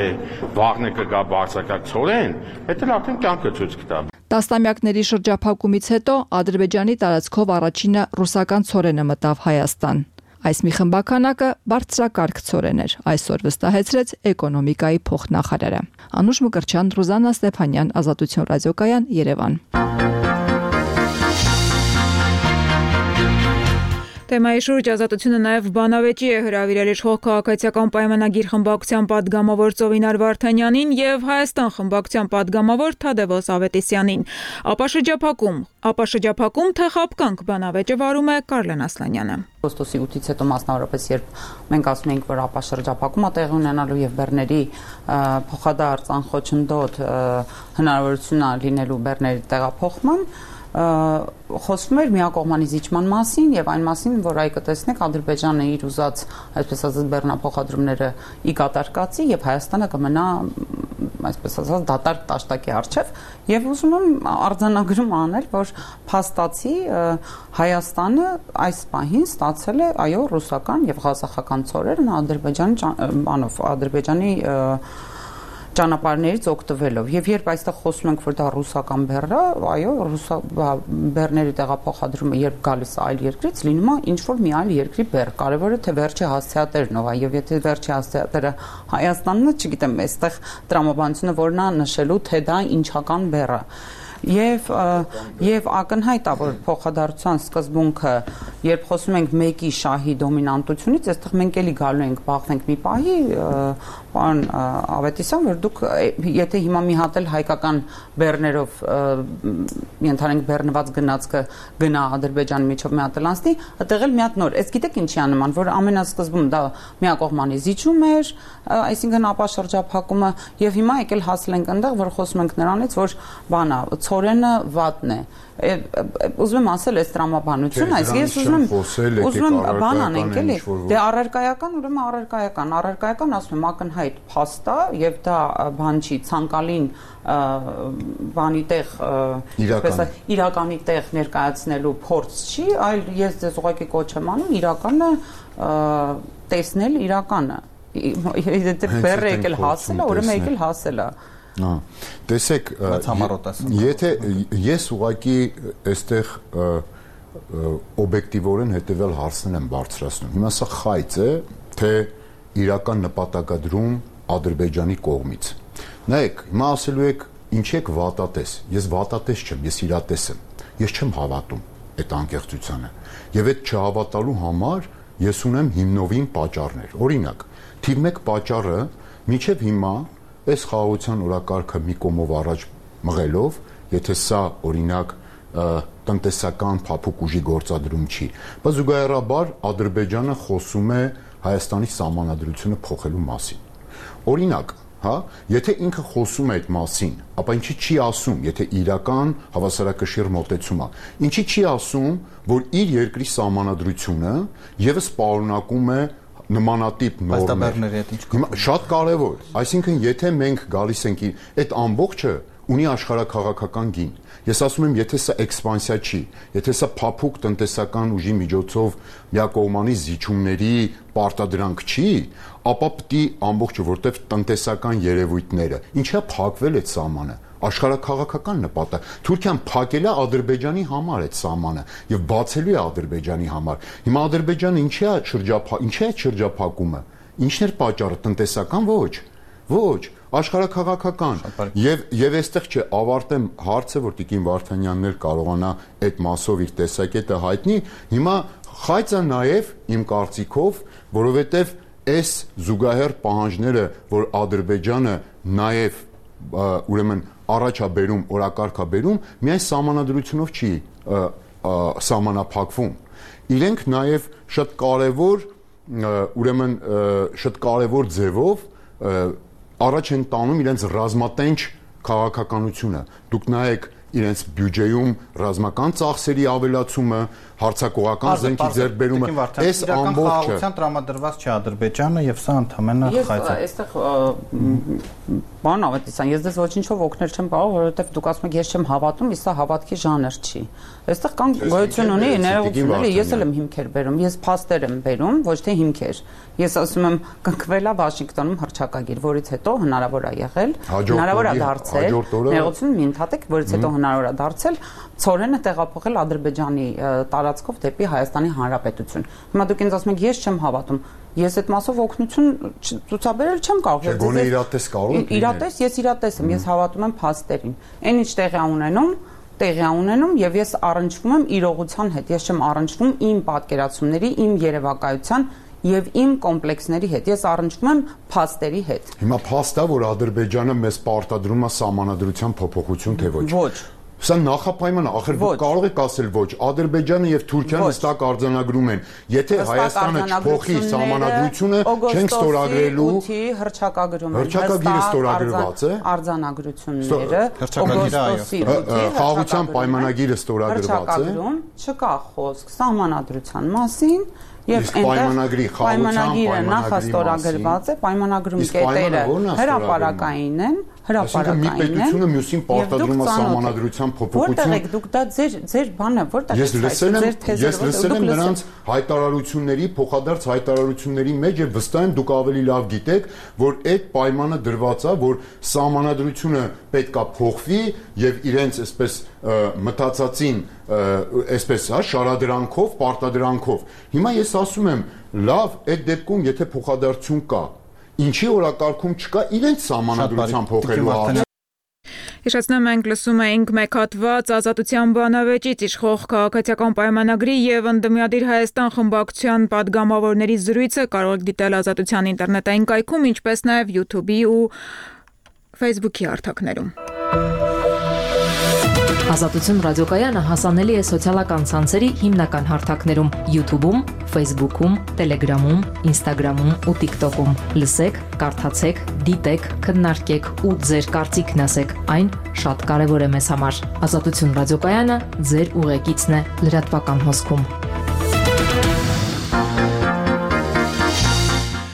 վաղն է կգա բարձրակարգ ցորեն, դա էլ արդեն կյանքը ցույց կտա։ Տասնամյակների շրջափակումից հետո Ադրբեջանի տարածքով առաջինը ռուսական ցորենը մտավ Հայաստան։ Այս մի խմբականակը բարձրակարգ ցորեն էր, այսօր վստահեցրեց էկոնոմիկայի փոխնախարարը։ Անուշ Մկրտչյան, Ռուզաննա Ստեփանյան, Ազատություն ռադիոկայան, Երևան։ Թեմայի շուրջ Ազատությունը նաև բանավեճի է հրավիրել իշխող քաղաքացիական պայմանագիր խմբակցության падգամավոր Ծովինար Վարդանյանին եւ Հայաստան խմբակցության падգամավոր Թադևոս Ավետիսյանին։ Ապաշրջափակում, ապաշրջափակում թե խապկանք բանավեճը վարում է Կարլեն Ասլանյանը։ Օգոստոսի ութից հետո մասնավորապես երբ մենք ասում ենք, որ ապաշրջափակումը տեղի ունենալու եւ բեռների փոխադարձ անխոչնդոտ հնարավորություն լինելու բեռների տեղափոխման խոսվում էր միակողմանի զիջման մասին եւ այն մասին, որ այ կտեսնեք Ադրբեջանը իր ուզած, այսպես ասած, բեռնափոխադրումները ի կատար կացի եւ Հայաստանը կմնա, այսպես ասած, դատարկ տաշտակի առջեւ եւ ուզում եմ արձանագրում անել, որ փաստացի Հայաստանը այս պահին ստացել է, այո, ռուսական եւ ղազախական ցորերն Ադրբեջանի բանով, Ադրբեջանի ճանապարհներից օգտվելով եւ երբ այստեղ խոսում ենք, որ դա ռուսական բեռ է, այո, ռուսա բեռների տեղափոխադրումը երբ գալիս է այլ երկրից, լինում է ինչ որ մի այլ երկրի բեռ։ Կարևորը թե վերջի հասցեատերն ով է եւ եթե վերջի հասցեատերը Հայաստանն է, չգիտեմ, այստեղ տրամաբանությունը որն է նշելու, թե դա ինչական բեռ է։ եւ եւ ակնհայտ է, որ փոխադարձության սկզբունքը, երբ խոսում ենք մեկի շահի դոմինանտությունից, այստեղ մենք էլի գալու ենք բախվենք մի պահի, պարոն Ավետիսյան, որ դուք եթե հիմա մի հատ էլ հայկական բեռներով ենթանենք բեռնված գնացքը գնա Ադրբեջանի միջով մի հատ էլ անցնի, այդտեղ էլ մի հատ նոր։ Այս գիտեք ինչի է նման, որ ամենասկզբում դա միակողմանի զիջում էր, այսինքն ապաշրջափակումը, եւ հիմա եկել հասել ենք այնտեղ, որ խոսում ենք նրանից, որ բանա, ցորենը վատն է։ Ուզում եմ ասել այս տրամաբանությունը, այս ես ուզում եմ ուզում եմ բան անենք էլի։ Դե առարկայական, ուրեմն առարկայական, առարկայական ասում եմ ակնհայտ փաստ է եւ դա բան չի ցանկալին բանի տեղ այսպես իրականի տեղ ներկայացնելու փորձ չի, այլ ես ձեզ ուղղակի կոչ եմ անում իրականը տեսնել իրականը։ Եթե բեռը եկել հասել է, ուրեմն եկել հասել է։ Հա, տեսեք, եթե ես ուղղակի այստեղ օբյեկտիվորեն հետևյալ հարցներ եմ բարձրացնում։ Հիմա սա խայծ է, թե իրական նպատակադրում Ադրբեջանի կողմից։ Նայեք, հիմա ասելու եք, ինչ եք վատատես։ Ես վատատես չեմ, ես իրատես եմ։ Ես չեմ հավատում այդ անկեղծությանը։ Եվ այդ չհավատալու համար ես ունեմ հիմնովին պատճառներ։ Օրինակ, թիվ մեկ պատճառը մինչև հիմա այս խաղաղության օրակարգը մի կողմով առաջ մղելով, եթե սա օրինակ տնտեսական փափուկ ուժի գործադրում չի, բայց զուգահեռաբար Ադրբեջանը խոսում է Հայաստանի սահմանադրությունը փոխելու մասին։ Օրինակ, հա, եթե ինքը խոսում է այդ մասին, ապա ինչի չի ասում, եթե իրական հավասարակշիռ մոտեցում է, ինչի չի ասում, որ իր երկրի սահմանադրությունը եւս պարունակում է նմանատիպ նորմեր։ Շատ կարևոր, այսինքն եթե մենք գալիս ենք այդ ամբողջը ունի աշխարհաքաղաքական գին։ Ես ասում եմ, եթե սա էքսպանսիա չի, եթե սա փափուկ տնտեսական ուժի միջոցով միակողմանի զիջումների պարտադրանք չի, ապա պիտի ամբողջը, որտեղ տնտեսական երևույթները, ինչա փակվել այդ սահմանը, աշխարհաքաղաքական նպատակ։ Թուրքիան փակել է Ադրբեջանի համար այդ սահմանը եւ բացելու է Ադրբեջանի համար։ Հիմա Ադրբեջանը ինչի է շրջափա, ինչի է շրջափակումը։ Ինչն էր պատճառը, տնտեսական ոչ։ Ոչ, աշխարհաքաղաքական։ Եվ եւ այստեղ չէ, ավարտեմ հարցը, որ Տիկին Վարդանյանն էլ կարողանա այդ մասով իր տեսակետը հայտնի։ Հիմա խայծը նաեւ իմ կարծիքով, որովհետեւ այս զուգահեռ պահանջները, որ Ադրբեջանը նաեւ ուրեմն առաջ է բերում, օրակարգ է բերում, միայն սահմանադրությունով չի սահմանափակվում։ Իրենք նաև շատ կարևոր, ուրեմն շատ կարևոր ձևով առաջ են տանում իրենց ռազմատենչ քաղաքականությունը։ Դուք նայեք իրենց բյուջեում ռազմական ծախսերի ավելացումը, հարձակողական զենքի ձեռքբերումը, այս ամբողջը խաղաղության տրամադրված չի Ադրբեջանը եւ սա ընդհանրապես խայծ է։ Այստեղ բան Ավետիսյան, ես դες ոչինչով օգնել չեմ կարող, որովհետեւ դուք ասում եք ես չեմ հավատում, իսկ սա հավատքի ժանր չի։ Այստեղ կան գոյություն ունի ներողությունները, ես էլ եմ հիմքեր բերում, ես փաստեր եմ բերում, ոչ թե հիմքեր։ Ես ասում եմ կնքվելա Վաշինգտոնում հռչակագիր, որից հետո հնարավոր է եղել, հնարավոր է դարձել, ներողություն մի ընդհատեք, որից հետո հնարավոր է դարձել ցորենը տեղափոխել Ադրբեջանի տարածքով դեպի Հայաստանի Հանրապետություն։ Հիմա դուք ինձ ասում եք ես չեմ հավատում։ Ես այդ մասով օգնություն ցուցաբերել չեմ կարող։ Գոնե իրատես կարող եք։ Իրատես, ես իրատես եմ, ես հավատում եմ փաստերին։ Այն ինչ տեղի ունենում, տեղի ունենում եւ ես առնչվում եմ իրողության հետ։ Ես չեմ առնչվում իմ պատկերացումների, իմ երևակայության եւ իմ կոմպլեքսների հետ։ Ես առնչվում եմ փաստերի հետ։ Հիմա փաստա, որ Ադրբեջանը մեզ պարտադրում է սահմանադրության փոփոխություն, թե ոչ։ Ոչ։ Սա նախապայման է, ախր դուք կարող եք ասել ոչ, Ադրբեջանը եւ Թուրքիան հստակ արձանագրում են, եթե Հայաստանը չփոխի սահմանադրությունը, չենք ստորագրելու հռչակագրում են, հռչակագիրը ստորագրված է, արձանագրությունները, օգոստոսի խաղաղության պայմանագիրը ստորագրված է, չկա խոսք սահմանադրության մասին։ Եվ պայմանագրի պայմանագիրը նախաստորագրված է, պայմանագրում կետերը հրապարակային են, հրապարակային են։ Այսինքն մի պետությունը մյուսին պարտադրում է սահմանադրության փոփոխություն։ Որտեղ եք դուք դա ձեր ձեր բանը որտեղ եք հայտարարել։ Ես լսել եմ նրանց հայտարարությունների, փոխադարձ հայտարարությունների մեջ եւ վստահ եմ դուք ավելի լավ գիտեք, որ այդ պայմանը դրված է, որ սահմանադրությունը պետքա փոխվի եւ իրենց այսպես մտածածին այսպես հա շարադրանքով, պարտադրանքով։ Հիմա ես ասում եմ, լավ, այդ դեպքում եթե փոխադարձություն կա, ինչի օրակարգում չկա, իրենց սահմանադրության փոխելու հարցը։ Հիշեցնեմ, մենք լսում էինք մեկ հատված Ազատության բանավեճից իշխող քաղաքացիական պայմանագրի եւ Ընդդիմադիր Հայաստան խմբակցության падգամավորների զրույցը կարող եք դիտել Ազատության ինտերնետային կայքում, ինչպես նաեւ YouTube-ի ու Facebook-ի հարթակներում։ Ազատություն ռադիոկայանը հասանելի է սոցիալական ցանցերի հիմնական հարթակներում՝ YouTube-ում, Facebook-ում, Telegram-ում, Instagram-ում ու TikTok-ում։ Լսեք, կարդացեք, դիտեք, քննարկեք ու ձեր կարծիքն ասեք։ Այն շատ կարևոր է մեզ համար։ Ազատություն ռադիոկայանը ձեր ուղեկիցն է լրատվական հոսքում։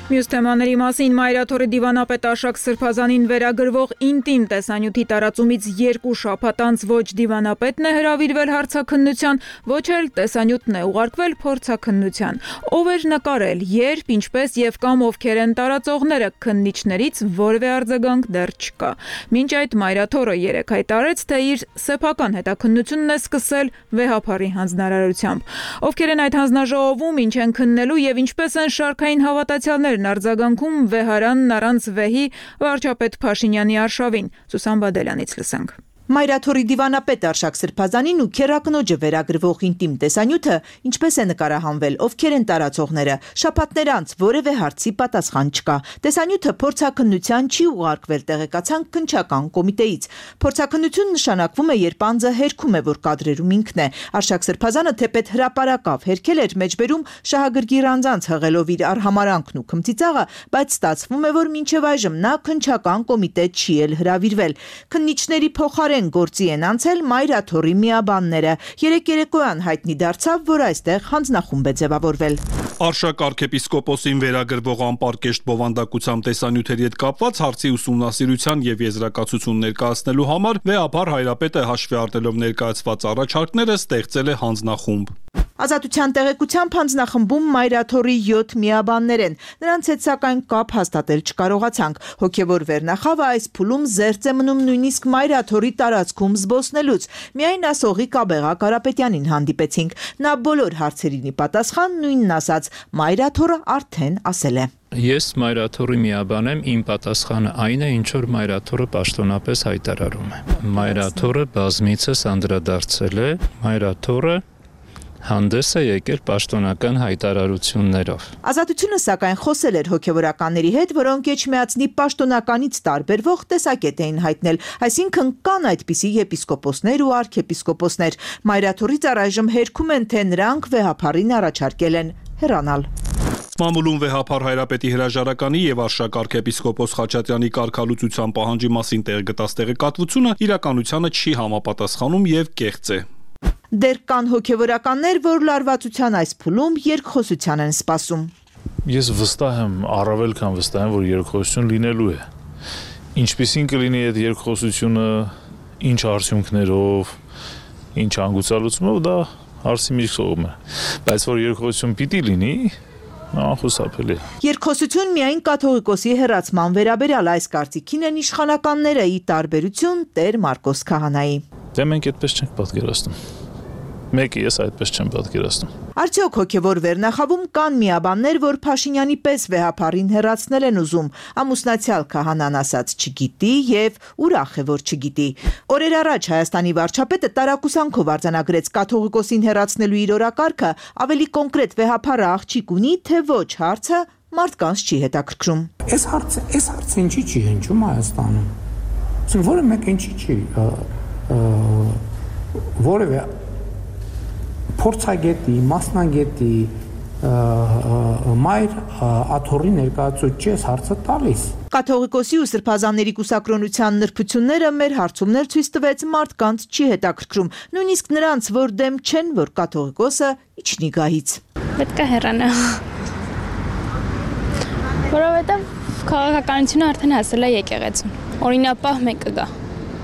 Մյուս թեմաների մասին Մայրաթորի դիվանապետ Աշակ Սրբազանին վերագրվող ինտիմ տեսանյութի տարածումից երկու շաբաթ անց ոչ դիվանապետն է հրավիրվել հարցաքննության, ոչ էլ տեսանյութն է ուղարկվել փորձաքննության։ Ով էր նկարել, երբ, ինչպես եւ կամ ովքեր են տարածողները, քննիչներից որևէ արձագանք դեռ չկա։ Մինչ այդ Մայրաթորը երեկ հայտարարեց, թե իր սեփական հետաքննությունն է սկսել վեհափարի հանձնարարությամբ։ Ովքեր են այդ հանձնաժողովում, ինչ են քննելու եւ ինչպես են շարքային հավատացյալներ արձագանքում վեհարանն առանց վեհի վարչապետ Փաշինյանի արշավին։ Սուսան Բադելյանից լսենք։ Մայրաթորի դիվանապետ Արշակ Սրբազանին ու քերակնոջը վերագրվող ինտիմ տեսանյութը ինչպես է նկարահանվել, ովքեր են տարածողները, շաբաթներ անց որևէ հարցի պատասխան չկա։ Տեսանյութը փորձաքննության չի ուղարկվել, տեղեկացան քննչական կոմիտեից։ Փորձաքննություն նշանակվում է, երբ անձը հերքում է, որ կադրերում ինքն է։ Արշակ Սրբազանը թեպետ հրապարակավ հերքել էր մեջբերում շահագրգիռ անձանց հղելով իր արհամարանքն ու քմծիծաղը, բայց ստացվում է, որ մինչև այժմ նա քննչական կոմիտե չի էլ հրավիրվել։ Քննիչների փոխարեն գործի են անցել Մայրաթորի միաբանները։ Երեկ երեկոյան հայտնի դարձավ, որ այստեղ հանձնախումբ է ձևավորվել։ Արշակ arczepiskoposին վերագրվող անպարկեշտ բովանդակությամբ տեսանյութերի հետ կապված հարցի ուսումնասիրության եւ եզրակացություն ներկայացնելու համար վեհապար հայրապետը հաշվի առնելով ներկայացված առաջարկները ստեղծել է հանձնախումբ։ Ազատության տեղեկությամբ հանձնախմբում Մայրաթորի յոթ միաբաններ են։ Նրանց հետ սակայն կապ հաստատել չկարողացանք։ Հոգևոր վերնախավը այս փուլում զերծ է մնում նույնիսկ Մայրաթորի տարածքում զբոսնելուց։ Միայն ասողի Կաբեղա Կարապետյանին հանդիպեցինք։ Նա բոլոր հարցերին ի պատասխան նույնն ասաց՝ Մայրաթորը արդեն ասել է։ Ես Մայրաթորի միաբան եմ, իմ պատասխանը այն է, ինչ որ Մայրաթորը պաշտոնապես հայտարարում է։ Մայրաթորը բազմիցս անդրադարձել է, Մայրաթորը հանդես է եկել պաշտոնական հայտարարություններով։ Ազատությունը սակայն խոսել էր հոգևորականների հետ, որոնք Էջմիածնի պաշտոնականից տարբերվող տեսակետ էին հայտնել, այսինքն կան այդպիսի եպիսկոպոսներ ու արքեպիսկոպոսներ։ Մայրաթորից առայժմ հերքում են, թե նրանք վեհափարին առաջարկել են հեռանալ։ Մամուլում վեհապար հայրապետի հրաժարականի եւ Արշակ arczepiskopos Խաչատրյանի կարգալուծության պահանջի մասին տեղգտած տեղեկատվությունը իրականությանը չի համապատասխանում եւ կեղծ է։ Դեռ կան հոգևորականներ, որ լարվածության այս փուլում երկխոսության են սպասում։ Ես վստահ եմ, առավել քան վստահ եմ, որ երկխոսություն լինելու է։ Ինչպիսին կլինի այդ երկխոսությունը, ինչ արդյունքներով, ինչ հանգուցալուծումով, դա հարցի մի կողմ է։ Բայց որ երկխոսություն պիտի լինի, անխուսափելի։ Երկխոսություն միայն կաթողիկոսի հեռացման վերաբերյալ այս կարծիքին են իշխանականները՝ ի տարբերություն Տեր Մարկոս քահանայի։ Դե մենք այդպես չենք պատկերացնում։ Մեկը ես այդպես չեմ պատկերացնում։ Արդյոք հոգևոր վերնախավում կան միաբաններ, որ Փաշինյանի պես վեհապարին հեռացնել են ուզում։ Ամուսնացյալ քահանան ասաց չգիտի եւ ուրախ է, որ չգիտի։ Օրեր առաջ Հայաստանի վարչապետը տարակուսանքով արձանագրեց կաթողիկոսին հեռացնելու իր օրակարգը, ավելի կոնկրետ վեհապարը աղջիկ ունի, թե ոչ հարցը մարդկանց չի հետաքրքրում։ Այս հարցը, այս հարցը ինչի չի հնչում Հայաստանում։ Իսկ որը մեկ ինչի չի որևէ փորձագետի, մասնագետի մայր աթոռի ներկայացուցիչ ես հարցը տալիս։ Կաթողիկոսի ու սրբազանների կուսակրոնության նրբությունները մեր հարցումներ ցույց տվեց մարդկանց չի հետաքրքրում, նույնիսկ նրանց, որ դեմ չեն, որ կաթողիկոսը իջնի գահից։ Պետք է հեռանա։ Որովհետև քաղաքականությունը արդեն հասել է եկեղեցուն։ Օրինապահ մեկը գա։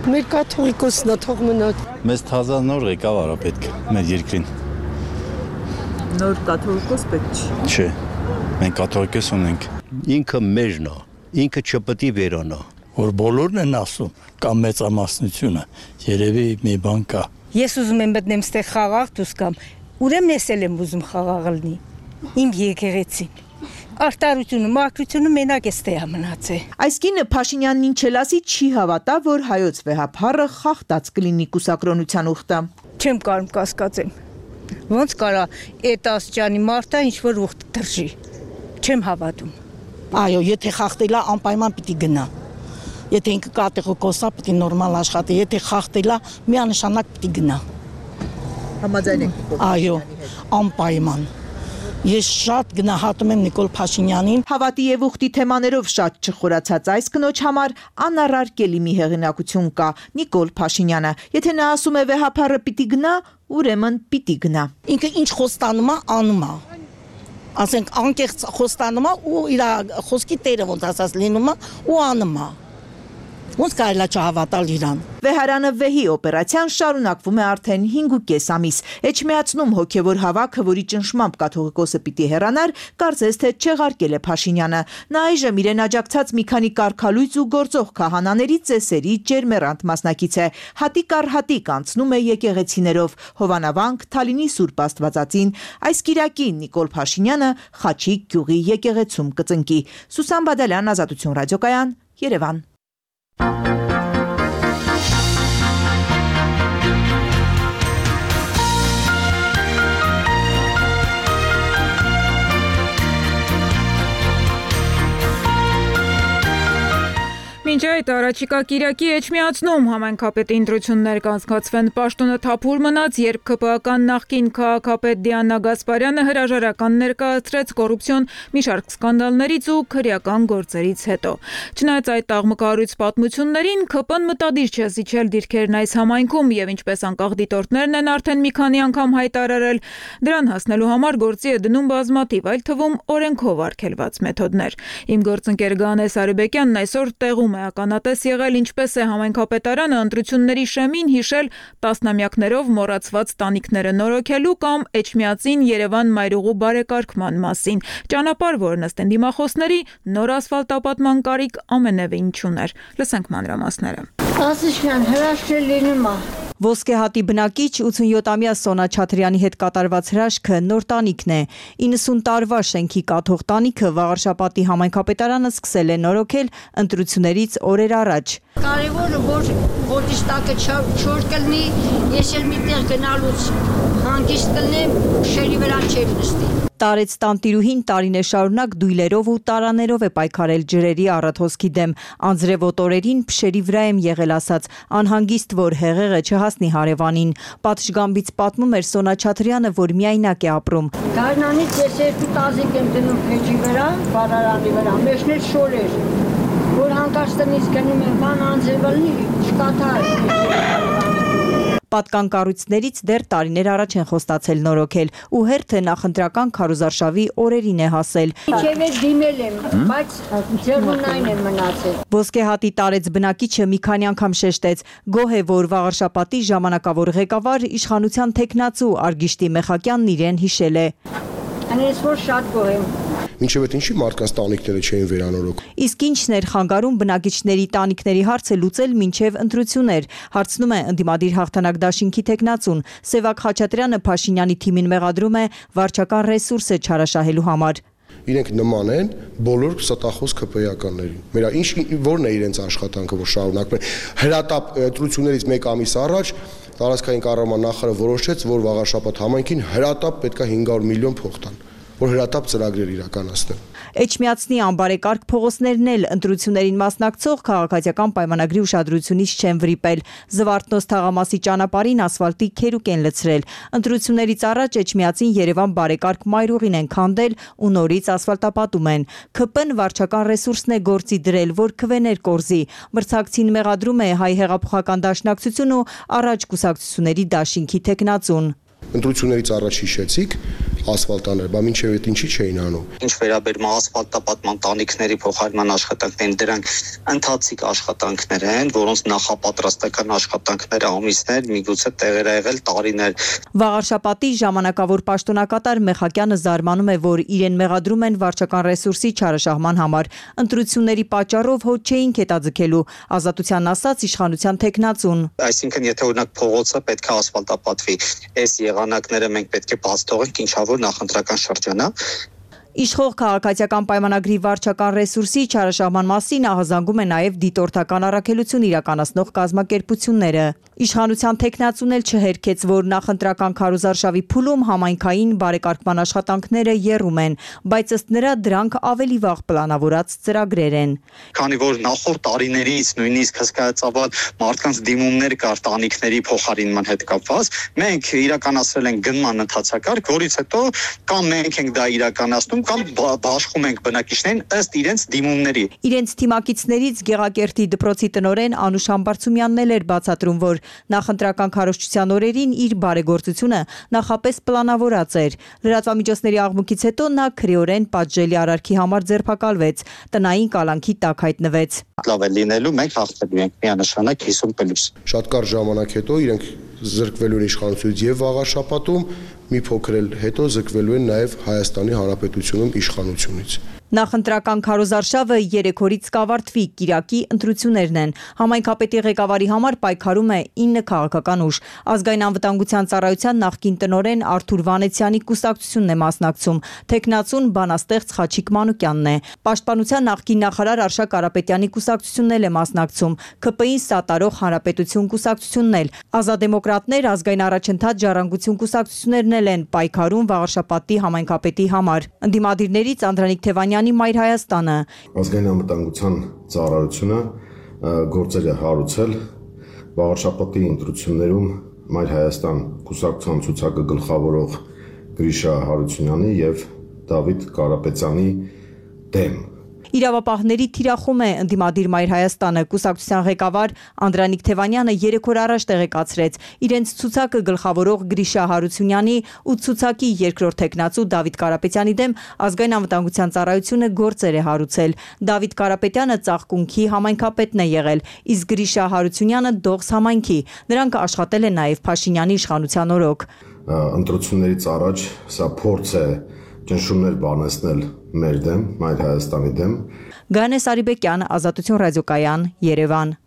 Մեր կաթողիկոսն է թող մնա։ Մեզ թազա նոր ղեկավար է պետք մեր երկրին։ Նոր կաթողիկոս պետք չի։ Չէ, մենք կաթողիկոս ունենք։ Ինքը մեջն է, ինքը չպետք է վերանա։ Որ բոլորն են ասում, կամ մեծամասնությունը, երևի մի բան կա։ Ես ուզում եմ մտնեմ ստեղ խաղաղ դուս կամ, ուրեմն ես էլ եմ ուզում խաղաղ լինի։ Իմ եկեղեցին։ Արտարությունը, մաքրությունը մենակ էստե է մնացել։ Այս կինը Փաշինյանն ինչ էլ ասի չի հավատա, որ հայոց վեհափառը խախտած կլինի կուսակրոնության ուխտը։ Չեմ կարող կասկածեմ։ Ոնց կարա այդ աստիճանի մարդը ինչ որ ուխտ դրժի։ Չեմ հավատում։ Այո, եթե խախտելա անպայման պիտի գնա։ Եթե ինքը կատեգորիկոսա պիտի նորմալ աշխատի, եթե խախտելա միանշանակ պիտի գնա։ Համաձայն եք։ Այո, անպայման։ Ես շատ գնահատում եմ Նիկոլ Փաշինյանին։ Հավատի եւ ուխտի թեմաներով շատ չխորացած այս կնոջ համար անառարկելի մի հեղինակություն կա՝ Նիկոլ Փաշինյանը։ Եթե նա ասում է վեհափառը պիտի գնա, ուրեմն պիտի գնա։ Ինքը ինչ խոստանում է, անում է։ Ասենք անկեղծ խոստանում է ու իր խոսքի տերը ոնց ասած լինում է ու անում է։ Ոնց կարելի է չհավատալ իրան։ Վեհարանը վեհի օպերացիան շարունակվում է արդեն հինգուկես ամիս։ Էջմիածնում հոգևոր հավաքը, որի ճնշմամբ կաթողիկոսը պիտի հեռանար, կարծես թե չեղարկել է Փաշինյանը։ Նա այժմ իրեն աջակցած մի քանի կարգալույծ ու գործող քահանաների ծեսերի ջերմեռանդ մասնակից է։ Հատիկ առ հատիկ անցնում է եկեղեցիներով՝ Հովանավանք, Թալինի Սուրբ Աստվածածին։ Այս կիրակին Նիկոլ Փաշինյանը Խաչիկ գյուղի եկեղեցում կծնկի։ Սուսան Բադալյան, Ազատություն ռադիոկայան, Երևան։ Մինչ այդ առաջիկա կիրակի Էջմիածնում համայնքապետի ընտրություններ կանցկացվեն, պաշտոնը թափուր մնաց, երբ ՔՊԱ-կան նախկին քաղաքապետ Դիանա Գասպարյանը հրաժարական ներկայացրեց կոռուպցիոն մի շարք սկանդալներից ու քրեական գործերից հետո։ Չնայած այդ աղմկահարույց պատմություններին, ՔՊ-ն մտադիր չէ զիջել դիրքերն այս համայնքում եւ ինչպես անկախ դիտորդներն են արդեն մի քանի անգամ հայտարարել, դրան հասնելու համար գործի է դնում բազմաթիվ, այլ թվում օրենքով արգելված մեթոդներ։ Իմ գործընկեր Գանե Սարիբեկյանն այսօր տեղում է ականատես եղել, ինչպես է համայնքապետարանը ընտրությունների շեմին հիշել տասնամյակներով մոռացված տանիքները նորոգելու կամ Էջմիածին Երևան մայրուղու բարեկարգման մասին։ Ճանապարհ, որն ըստ դիմախոսների նոր ասֆալտապատման կարիք ամենևին չուներ։ Լսենք մանրամասները։ Ասիշյան հրաշքներ լինում է։ Ոսկե հատի բնակիչ ութսունյոթամյա Սոնա Չատրյանի հետ կատարված հրաշքը նոր տանիքն է։ իննսուն տարվա շենքի կաթող տանիքը Վաղարշապատի համայնքապետարանը սկսել է նորոգել ընտրություններից օրեր առաջ։ Կարևորը որ ոտիշ տակը չոր կլնի, ես էլ միտեղ գնալուց հանգիստ կլնեմ, շերի վրա չեմ նստի։ Տարեց տանտիրուհին տարիներ շարունակ դույլերով ու տարաներով է պայքարել ջրերի առաթոսքի դեմ։ Անձրևոտ օրերին փշերի վրա եմ եղել ասած, անհանգիստ որ հեղեղը չհասնի հարևանին։ Պատշգամբից պատմում էր Սոնա Չատրյանը, որ միայնակ է ապրում։ Գարնանից ես երկու տազիկ եմ դնում փեջի վրա, բարարանի վրա, մեջն էլ շոր էր, որ հանկարծ տնից գնում եմ, բան անձրևը լինի, չկաթար։ Պատկան կառույցներից դեռ տարիներ առաջ են խոստացել նորոգել ու հերթը նախընտրական քարոզարշավի օրերին է հասել։ Իջև էլ դիմել եմ, բայց ձեռնունայն եմ մնացել։ Ոսկե հատի տարեց բնակիչը մի քանի անգամ շեշտեց, գոհ է, որ Վաղարշապատի ժամանակավոր ղեկավար իշխանության տեխնացու Արգիշտի Մեխակյանն իրեն հիշել է։ Անես որ շատ գոհ եմ։ Ինչև այդ ինչի մարդկանց տանիքները չէին վերանորոգ։ Իսկ ինչն էր խանգարում բնակիչների տանիքների հարցը լուծել մինչև ընտրություններ, հարցնում է ընդդիմադիր հաղթանակ դաշինքի տեխնացուն։ Սևակ Խաչատրյանը Փաշինյանի թիմին մեղադրում է վարչական ռեսուրսը չարաշահելու համար։ Իրենք նման են բոլոր ստախոս ՔՊ-ականներին։ Մերա ինչ որն է իրենց աշխատանքը, որ շարունակում են։ Հրատապ ընտրություններից մեկ ամիս առաջ տարածքային կառավարման նախարարը որոշեց, որ Վաղարշապատ համայնքին հրատապ պետք է հինգ հարյուր միլիոն փող տան, որ հրատապ ծրագրեր իրականացնեն։ Էջմիածնի անբարեկարգ փողոցներն էլ ընտրություններին մասնակցող քաղաքացիական պայմանագրի ուշադրությունից չեն վրիպել։ Զվարթնոց թաղամասի ճանապարհին ասֆալտի քերուկ են լցրել։ Ընտրություններից առաջ Էջմիածին Երևան բարեկարգ մայրուղին են քանդել ու նորից ասֆալտապատում են։ ՔՊ-ն վարչական ռեսուրսն է գործի դրել, որ քվեներ կորզի։ Մրցակցին մեղադրում է Հայ հեղափոխական դաշնակցություն ու առաջ կուսակցությունների դաշինքի տեխնացուն։ Ընտրություններից առաջ հիշեցիք ասֆալտաներ, բա մինչև այդ ինչի չէին անում։ Ինչ վերաբերում է ասֆալտապատման տանիքների փոխարինման աշխատանքներին, դրանք ընթացիկ աշխատանքներ են, որոնց նախապատրաստական աշխատանքները ամիսներ, միգուցե տեղեր ա եղել տարիներ։ Վաղարշապատի ժամանակավոր պաշտոնակատար Մեխակյանը զարմանում է, որ իրեն մեղադրում են վարչական ռեսուրսի չարաշահման համար։ Ընտրությունների պատճառով հոտ չէին կետաձգելու, Ազատության ասած իշխանության տեխնացուն։ Այսինքն, եթե օրինակ փողոցը պետք է ասֆալտապատվի, այս եղանակները մենք պետք է բաց թողենք, ինչավոր նախընտրական շրջանա։ Իշխող քաղաքացիական պայմանագրի վարչական ռեսուրսի չարաշահման մասին ահազանգում է նաև դիտորդական առաքելություն իրականացնող կազմակերպությունները։ Իշխանության թեկնածուն էլ չհերքեց, որ նախընտրական քարոզարշավի փուլում համայնքային բարեկարգման աշխատանքները եռում են, բայց ըստ նրա դրանք ավելի վաղ պլանավորած ծրագրեր են։ Քանի որ նախորդ տարիներից նույնիսկ հսկայածավալ մարդկանց դիմումներ կար տանիքների փոխարինման հետ կապված, մենք իրականացրել ենք գնման ընթացակարգ, որից հետո կամ մենք ենք դա իրականացնում, կամ բաշխում ենք բնակիչներին ըստ իրենց դիմումների։ Իրենց թիմակիցներից Գեղակերտի դպրոցի տնօրեն Անուշ Համբարձումյանն էլ էր բացատրում, որ նախընտրական քարոզչության օրերին իր բարեգործությունը նախապես պլանավորած էր։ Լրատվամիջոցների աղմուկից հետո նա քրեորեն պատժելի արարքի համար ձերբակալվեց, տնային կալանքի տակ հայտնվեց։ Լավ է լինելու, մենք հաղթելու ենք միանշանակ հիսուն պլյուս։ Շատ կարճ ժամանակ հետո իրենք զրկվելու են իշխանությունից եւ վաղաշապատում, մի փոքր էլ հետո զրկվելու են նաեւ Հայաստանի Հանրապետությունում իշխանությունից։ Նախընտրական քարոզարշավը երեք օրից կավարտվի, Կիրակի ընտրություններն են։ Համայնքապետի ղեկավարի համար պայքարում է ինը քաղաքական ուժ։ Ազգային անվտանգության ծառայության նախկին տնօրեն Արթուր Վանեցյանի կուսակցությունն է մասնակցում, թեկնածուն բանաստեղծ Խաչիկ Մանուկյանն է։ Պաշտպանության նախկին նախարար Արշակ Կարապետյանի կուսակցությունն էլ է մասնակցում, ՔՊ-ին սատարող Հանրապետություն կուսակցությունն էլ, Ազատդեմոկրատներ, Ազգային առաջընթաց Ժառանգություն կուսակցություններն էլ են պայքարում վաղաշապատի համայնքապետի համար։ Ընդդիմադիրներից Անդրանիկ Թևանյանի Մայր Հայաստանը։ Ազգային անվտանգության ծառայությունը գործեր է հարուցել վաղաշապատի ընտրություններում Մայր Հայաստան կուսակցության ցուցակը գլխավորող Գրիշա Հարությունյանի եւ Դավիթ Կարապետյանի դեմ։ Իրավապահների թիրախում է ընդդիմադիր Մայր Հայաստանը, կուսակցության ղեկավար Անդրանիկ Թևանյանը երեք օր առաջ տեղեկացրեց իրենց ցուցակը գլխավորող Գրիշա Հարությունյանի ու ցուցակի երկրորդ թեկնածու Դավիթ Կարապետյանի դեմ ազգային անվտանգության ծառայությունը գործեր է հարուցել։ Դավիթ Կարապետյանը Ծաղկունքի համայնքապետն է եղել, իսկ Գրիշա Հարությունյանը Դողս համայնքի։ Նրանք աշխատել են նաև Փաշինյանի իշխանության օրոք։ Ընտրություններից առաջ սա փորձ է ճնշումներ բանեցնել մեր դեմ, Մայր Հայաստանի դեմ։ Գանես Արիբեկյան, Ազատություն ռադիոկայան, Երևան։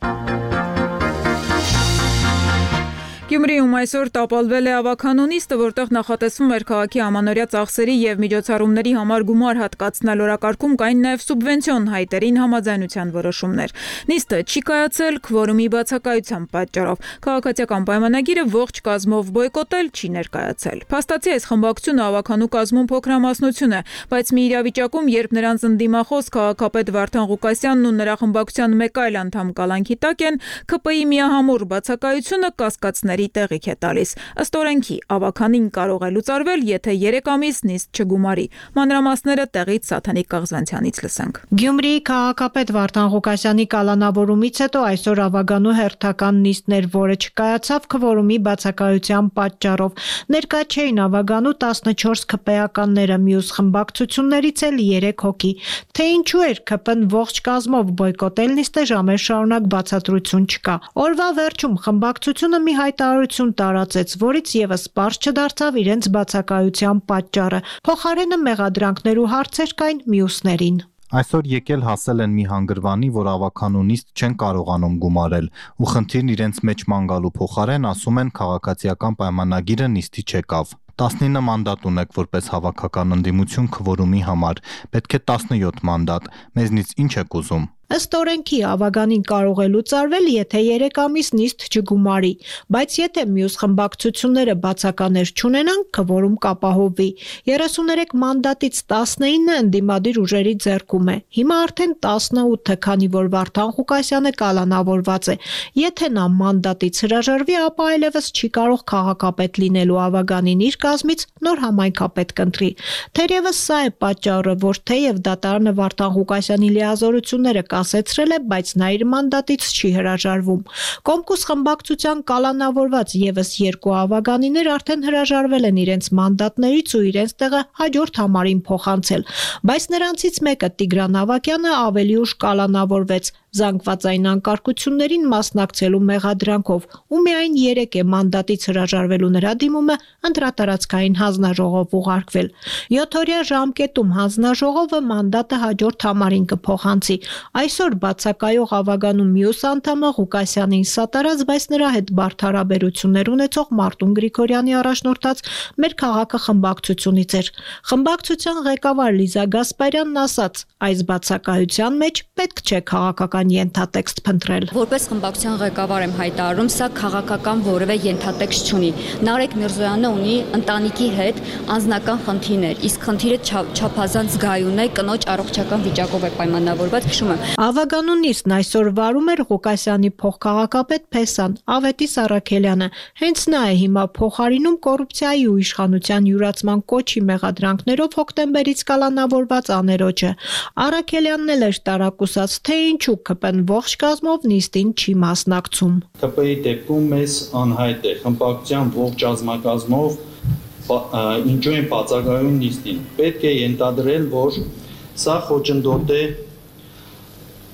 Գյումրիում այսօր տապալվել է ավագանու նիստը, որտեղ նախատեսվում էր քաղաքի ամանորյա ծախսերի եւ միջոցառումների համար գումար հատկացնել, օրակարգում կային նաեւ սուբվենցիոն հայտերին համաձայնության որոշումներ։ Նիստը չի կայացել քվորումի բացակայության պատճառով։ Քաղաքացիական պայմանագիրը ողջ կազմով բոյկոտել չի ներկայացել։ Փաստացի այս խմբակցությունը ավագանու կազմում փոքրամասնություն է, բայց մի իրավիճակում, երբ նրանց ընդդիմախոս քաղաքապետ Վարդան Ղուկասյանն ու նրա խմբակցության մեկ այլ անդամ կալանքի տակ են, ՔՊ-ի միահամուռ բացակայությունը կասկածների տեղիք է տալիս։ Ըստ օրենքի ավագանին կարող է լուծարվել, եթե երեք ամիս նիստ չգումարի։ Մանրամասները տեղից Սաթանիկ Կաղզանցյանից լսենք։ Գյումրիի քաղաքապետ Վարդան Ղուկասյանի կալանավորումից հետո այսօր ավագանու հերթական նիստներ, որը չկայացավ քվորումի բացակայության պատճառով։ Ներկա չէին ավագանու տասնչորս ՔՊ-ականները, մյուս խմբակցություններից էլ երեք հոգի։ Թե ինչու էր ՔՊ-ն ողջ կազմով բոյկոտել նիստը, ժամեր շարունակ բացատրություն չկա։ Օրվա վերջում խմբակցությունը մի հայտարարություն տարածեց, որից եւս պարզ չդարձավ իրենց բացակայության պատճառը։ Փոխարենը մեղադրանքներ ու հարցեր կային մյուսներին։ Այսօր եկել հասել են մի հանգրվանի, որ ավագանու նիստ չեն կարողանում գումարել, ու խնդիրն իրենց մեջ ման գալու փոխարեն ասում են քաղաքացիական պայմանագիրը նիստի չեկավ։ տասնինը մանդատ ունեք որպես հավաքական ընդդիմություն քվորումի համար, պետք է տասնյոթ մանդատ, մեզնից ինչ եք ուզում։ Ըստ օրենքի ավագանին կարող է լուծարվել, եթե երեք ամիս նիստ չգումարի, բայց եթե մյուս խմբակցությունները բացականեր չունենան, քվորում կապահովվի։ երեսուներեք մանդատից տասնինը ընդդիմադիր ուժերի ձեռքում է։ Հիմա արդեն տասնութը, քանի որ Վարդան Ղուկասյանը կալանավորված է։ Եթե նա մանդատից հրաժարվի, ապա այլևս չի կարող քաղաքապետ լինելու ավագանին իր կազմից նոր համայնքապետ կընտրի։ Թերևս սա է պատճառը, որ թեև դատարանը Վարդան Ղուկասյանի լիազորությունները կասեցրել է, բայց նա իր մանդատից չի հրաժարվում։ Կոմկուս խմբակցության կալանավորված եւս երկու ավագանիներ արդեն հրաժարվել են իրենց մանդատներից ու իրենց տեղը հաջորդ համարին փոխանցել, բայց նրանցից մեկը Տիգրան Ավակյանը ավելի ուշ կալանավորվեց։ զանգվածային անկարգություններին մասնակցելու մեղադրանքով, ու միայն երեք է մանդատից հրաժարվելու նրա դիմումը ընտրատարածքային հանձնաժողով ուղարկվել։ յոթօրյա ժամկետում հանձնաժողովը մանդատը հաջորդ համարին կփոխանցի։ Այսօր բացակայող ավագանու մյուս անդամը Ղուկասյանին սատարած, բայց նրա հետ բարդ հարաբերություններ ունեցող Մարտուն Գրիգորյանի առաջնորդած Մեր քաղաքը խմբակցությունից էր։ Խմբակցության ղեկավար Լիզա Գասպարյանն ասաց, այս բացակայության մեջ պետք չէ քաղաքական ենթատեքստ փնտրել։ Որպես խմբակցության ղեկավար եմ հայտարարում, սա քաղաքական որևէ ենթատեքստ չունի։ Նարեկ Միրզոյանը ունի ընտանիքի հետ անձնական խնդիրներ, իսկ խնդիրը չափազանց զգայուն է, կնոջ առողջական վիճակով է պայմանավորված, հիշում եմ։ Ավագանու նիստն այսօր վարում էր Ղուկասյանի փոխքաղաքապետ Փեսան Ավետիս Առաքելյանը։ Հենց նա է հիմա փոխարինում կոռուպցիայի ու իշխանության յուրացման կոչի մեղադրանքներով հոկտեմբերից կալանավորված աներոջը։ Առաքելյանն էլ էր տարակուսած, թե ինչու ԿՊ-ն ողջ կազմով նիստին չի մասնակցում։ ԿՊ-ի դեպքում մեզ անհայտ է խմբակցության ողջ ազգակազմով ինչու են բացակայում նիստին։ Պետք է ենթադրել, որ սա խոչընդոտ է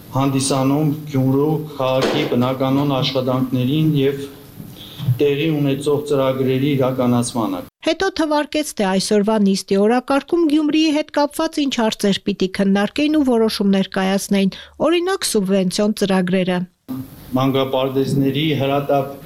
հանդիսանում Գյումրու քաղաքի բնականոն աշխատանքներին եւ տեղի ունեցող ծրագրերի իրականացմանը։ Հետո թվարկեց, թե այսօրվա նիստի օրակարգում Գյումրիի հետ կապված ինչ հարցեր պիտի քննարկեին ու որոշումներ կայացնեին, օրինակ սուբվենցիոն ծրագրերը։ Մանկապարտեզների հրատապ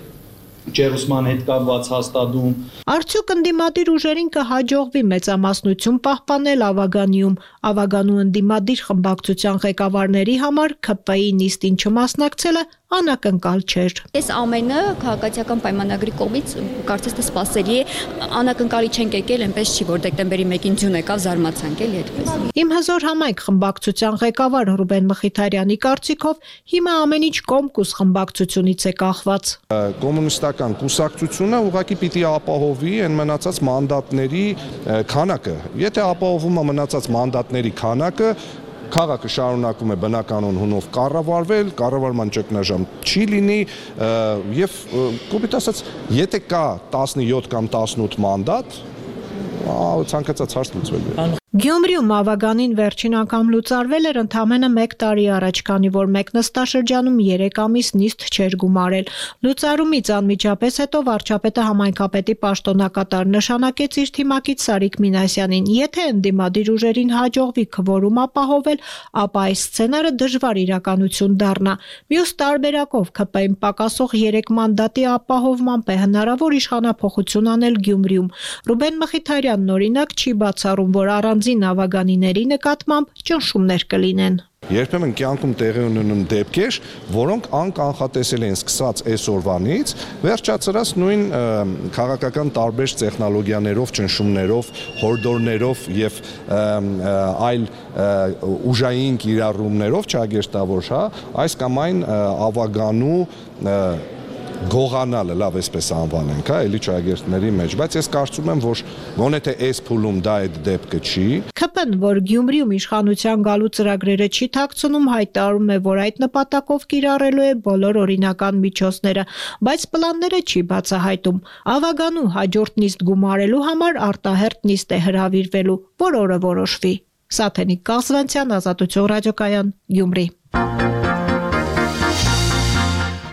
ջերուսման հետ կապված հաստատում։ Արդյոք ընդդիմադիր ուժերին կհաջողվի մեծամասնություն պահպանել Ավագանիում։ Ավագանու ընդդիմադիր խմբակցության ղեկավարների համար ԿՊ-ի նիստին չմասնակցելը անակնկալ չէր։ Այս ամենը քաղաքացիական պայմանագրի կողմից կարծես թե սպասելի է, անակնկալի չենք եկել, այնպես չի, որ դեկտեմբերի մեկին ձյուն եկավ, զարմացանք էլի այդպես։ Իմ հզոր համայնք խմբակցության ղեկավար Ռուբեն Մխիթարյանի կարծիքով հիմա ամեն ինչ Կոմկուս խմբակցությունից է կախված։ Կոմունիստական կուսակցությունը ուղղակի պիտի ապահովի այն մնացած մանդատների քանակը։ Եթե ապահովում է մնացած մանդատների քանակը, քաղաքը շարունակում է բնականon հունով կառավարվել, կառավարման ճգնաժամ չի լինի եւ կոպիտ ասած, եթե կա տասնյոթ կամ տասնութ մանդատ, ցանկացած հարց լուծվել է։ Գյումրիում Ավագանին վերջին անգամ լուծարվել էր ընդամենը մեկ տարի առաջ, քանի որ մեկ նստաշրջանում երեք ամիս նիստ չէր գումարել։ Լուծարումից անմիջապես հետո վարչապետը համայնքապետի պաշտոնակատար նշանակեց իր թիմակից Սարիկ Մինասյանին։ Եթե ընդդիմադիր ուժերին հաջողվի քվորում ապահովել, ապա այս սցենարը դժվար իրականություն դառնա։ Մյուս տարբերակով ԿՊ-ին պակասող երեք մանդատի ապահովմամբ է հնարավոր իշխանափոխություն անել Գյումրիում։ Ռուբեն Մխիթարյանն օրինակ չի բացառում, որ առանց Ավագանիների նկատմամբ ճնշումներ կլինեն։ Երբեմն կյանքում տեղի ունեն դեպքեր, որոնք անկանխատեսել են սկսած այսօրվանից, վերջացրած նույն քաղաքական տարբեր տեխնոլոգիաներով, ճնշումներով, հորդորներով եւ այլ ուժային կիրառումներով, չագերտավոր, հա, այս կամ այն Ավագանու գողանալը, լավ էսպես անվանենք, հա, էլի ճագերտների մեջ, բայց ես կարծում եմ, որ գոնե թե այս փուլում դա այդ դեպքը չի։ ԿՊ-ն, որ Գյումրիում իշխանության գալու ծրագրերը չի թաքցնում, հայտարարում է, որ այդ նպատակով կիրառելու է բոլոր օրինական միջոցները, բայց պլանները չի բացահայտում։ Ավագանու հաջորդ նիստ գումարելու համար արտահերթ նիստ է հրավիրվելու, որ օրը որոշվի։ Սաթենիկ Կասվանցյան, Ազատություն ռադիոկայան, Գյումրի։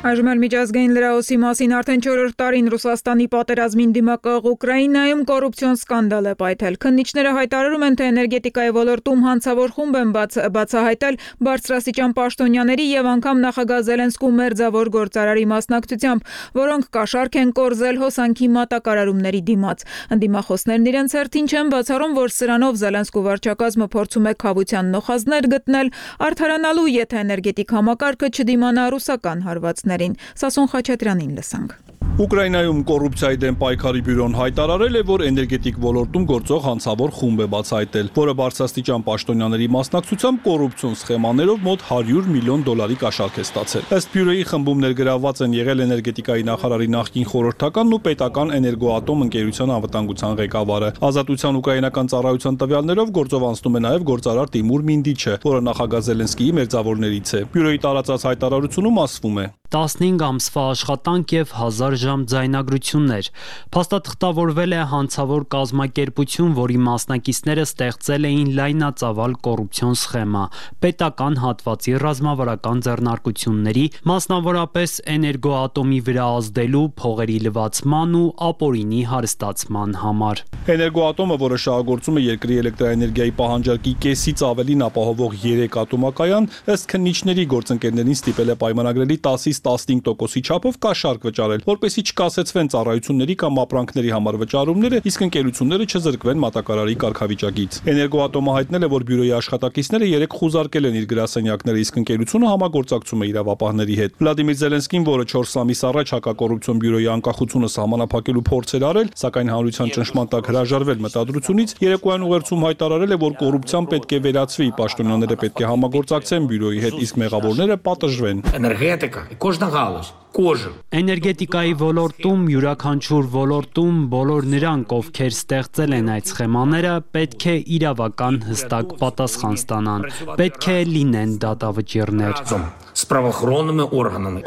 Այժմ էլ միջազգային լրահոսի մասին արդեն չորրորդ տարին Ռուսաստանի պատերազմին դիմակայող Ուկրաինայում կոռուպցիոն սկանդալ է պայթել։ Քննիչները հայտարարում են, թե էներգետիկայի ոլորտում հանցավոր խումբ են բաց, բացահայտել բարձրաստիճան պաշտոնյաների եւ անգամ նախագահ Զելենսկու մերձավոր գործարարի մասնակցությամբ, որոնք կաշառք են կորզել հոսանքի մատակարարումների դիմաց։ Ընդդիմախոսներն իրենց հերթին չեն բացառում, որ սրանով Զելենսկու վարչակազմը փորձում է քավության նոխազներ գտնել, արդարանալու, եթե էներգետիկ համակարգը չդիմանա ռուսական հարվածներին։ Սասուն Խաչատրյանին լսանք։ Ուկրաինայում կոռուպցիայի դեմ պայքարի բյուրոն հայտարարել է, որ էներգետիկ ոլորտում գործող հանցավոր խումբ է բացահայտել, որը բարձրաստիճան պաշտոնյաների մասնակցությամբ կոռուպցիոն սխեմաներով մոտ հարյուր միլիոն դոլարի կաշառք է ստացել։ Ըստ բյուրոյի խմբում ներգրավված են եղել էներգետիկայի նախարարի նախկին խորհրդականն ու պետական էներգոատոմ ընկերության անվտանգության ղեկավարը։ Ազատության ուկրաինական ծառայության տվյալներով գործով անցնում է նաև գործարար Տիմուր Մինդիչը, որը նախագահ Զելենսկիի մերձավորներից է։ Բյուրոյի տարածած հայտարարությունում ասվում է. տասնհինգ ամսվա աշխատանք եւ հազար ժամ անմիջաժամ ձայնագրություններ։ Փաստաթղթավորվել է հանցավոր կազմակերպություն, որի մասնակիցները ստեղծել էին լայնածավալ կոռուպցիոն սխեմա, պետական հատվածի ռազմավարական ձեռնարկությունների, մասնավորապես Էներգոատոմի վրա ազդելու, փողերի լվացման ու ապօրինի հարստացման համար։ Էներգոատոմը, որը շահագործում է երկրի էլեկտրաէներգիայի պահանջարկի կեսից ավելին ապահովող երեք ատոմակայան, ըստ քննիչների գործընկերներին ստիպել է պայմանագրերի տասից տասնհինգ տոկոսի չափով կաշառք վճարել, որպեսզի չկասեցվեն ծառայությունների կամ ապրանքների համար վճարումները, իսկ ընկերությունները չզրկվեն մատակարարի կարգավիճակից։ Էներգոատոմը հայտնել է, որ բյուրոյի աշխատակիցները երեք խուզարկել են իր գրասենյակները, իսկ ընկերությունը համագործակցում է իրավապահների հետ։ Վլադիմիր Զելենսկին, որը չորս ամիս առաջ հակակոռուպցիոն բյուրոյի անկախությունը սահմանափակելու փորձ էր արել, սակայն հանրության ճնշման տակ հրաժարվել մտադրությունից, երեկոյան ուղերձում հայտարարել է, որ կոռուպցիան պետք է վերացվի, պաշտոնյաները պետք է համագործակցեն բյուրոյի հետ, իսկ մեղավորները պատժվեն։ Էներգետիկա, կոժնա գալուս Էներգետիկայի ոլորտում, յուրաքանչյուր ոլորտում բոլոր նրանք, ովքեր ստեղծել են այդ սխեմաները, պետք է իրավական հստակ պատասխան ստանան, պետք է լինեն դատավճիռներ։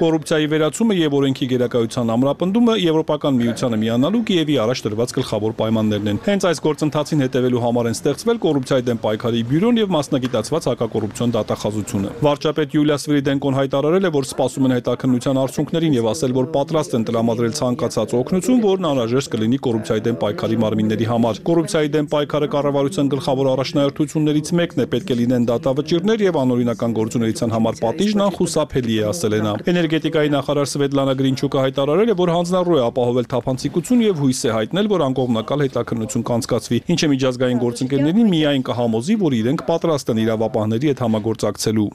Կոռուպցիայի վերացումը եւ օրենքի գերակայության ամրապնդումը Եվրոպական միությանը միանալու Կիևի առաջ դրված գլխավոր պայմաններն են։ Հենց այս գործընթացին հետևելու համար են ստեղծվել կոռուպցիայի դեմ պայքարի բյուրոն եւ մասնագիտացված հակակոռուպցիոն դատախազությունը։ Վարչապետ Յուլիա Սվիրիդենկոն հայտարարել է, որ սպասում են հետաքննության արդյունքներին եւ ասել, որ պատրաստ են տրամադրել ցանկացած օգնություն, որն անհրաժեշտ կլինի կոռուպցիայի դեմ պայքարի մարմինների համար։ Կոռուպցիայի դեմ պայքարը կառավարության գլխավոր առաջնահերթություններից մեկն է, պետք է լինեն դատավճիռներ եւ անօրինական գործունեության համար պատիժն անխուսափելի է, ասել է նա։ Էներգետիկայի նախարար Սվետլանա Գրինչուկը հայտարարել է, որ հանձնառու է ապահովել թափանցիկություն եւ հույս է հայտնել, որ անկողմնակալ հետաքննություն կանցկացվի, ինչը միջազգային գործընկերներին միայն կհամոզի, որ իրենք պատրաստ են իրավապահների հետ համագործակցելու։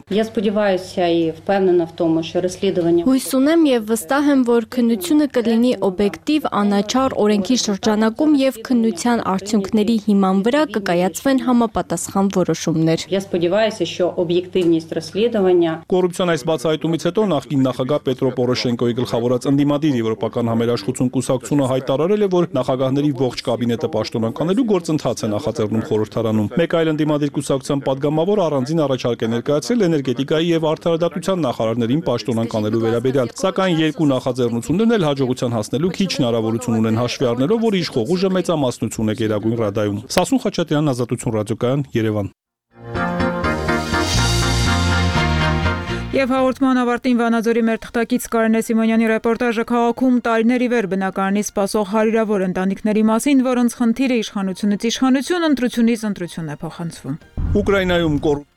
Հույս ունեմ եւ վստահ եմ, որ քննությունը կլինի օբյեկտիվ, անաչառ, օրենքի շրջանակում եւ քննության արդյունքների հիման վրա կկայացվեն համապատասխան որոշումներ։ Կոռուպցիոն այս բացահայտումից հետո նախկին նախագահ Պետրո Պորոշենկոյի գլխավորած ընդդիմադիր Եվրոպական համերաշխություն կուսակցությունը հայտարարել է, որ նախագահների ողջ կաբինետը պաշտոնանկանելու գործընթաց է նախաձեռնում խորհրդարանում։ Մեկ այլ ընդդիմադիր կուսակցության падգամավոր առանձին առաջարկ է ներկայացրել էներգետիկայի եւ արդարադատության նախարարներին պաշտոնանկանելու վերաբերյալ, սակայն երկու նախաձեռնություններն էլ հաջողության հասնելու քիչ հնարավորություն ունեն, հաշվի առնելով, որ իշխող ուժը մեծամասնություն է Գերագույն Ռադայում։ Սասուն Խաչատրյան, Ազատություն ռադիոկայան, Երևան։ Եվ հաղորդման ավարտին Վանաձորի մեր թղթակից Կարենե Սիմոնյանի ռեպորտաժը քաղաքում տարիներ ի վեր բնակարանի սպասող հարյուրավոր ընտանիքների մասին, որոնց խնդիրը իշխանությունից իշխանություն, ընտրությունից ընտրություն է փոխանցվում։ Ուկրաինայում կոռուպցիա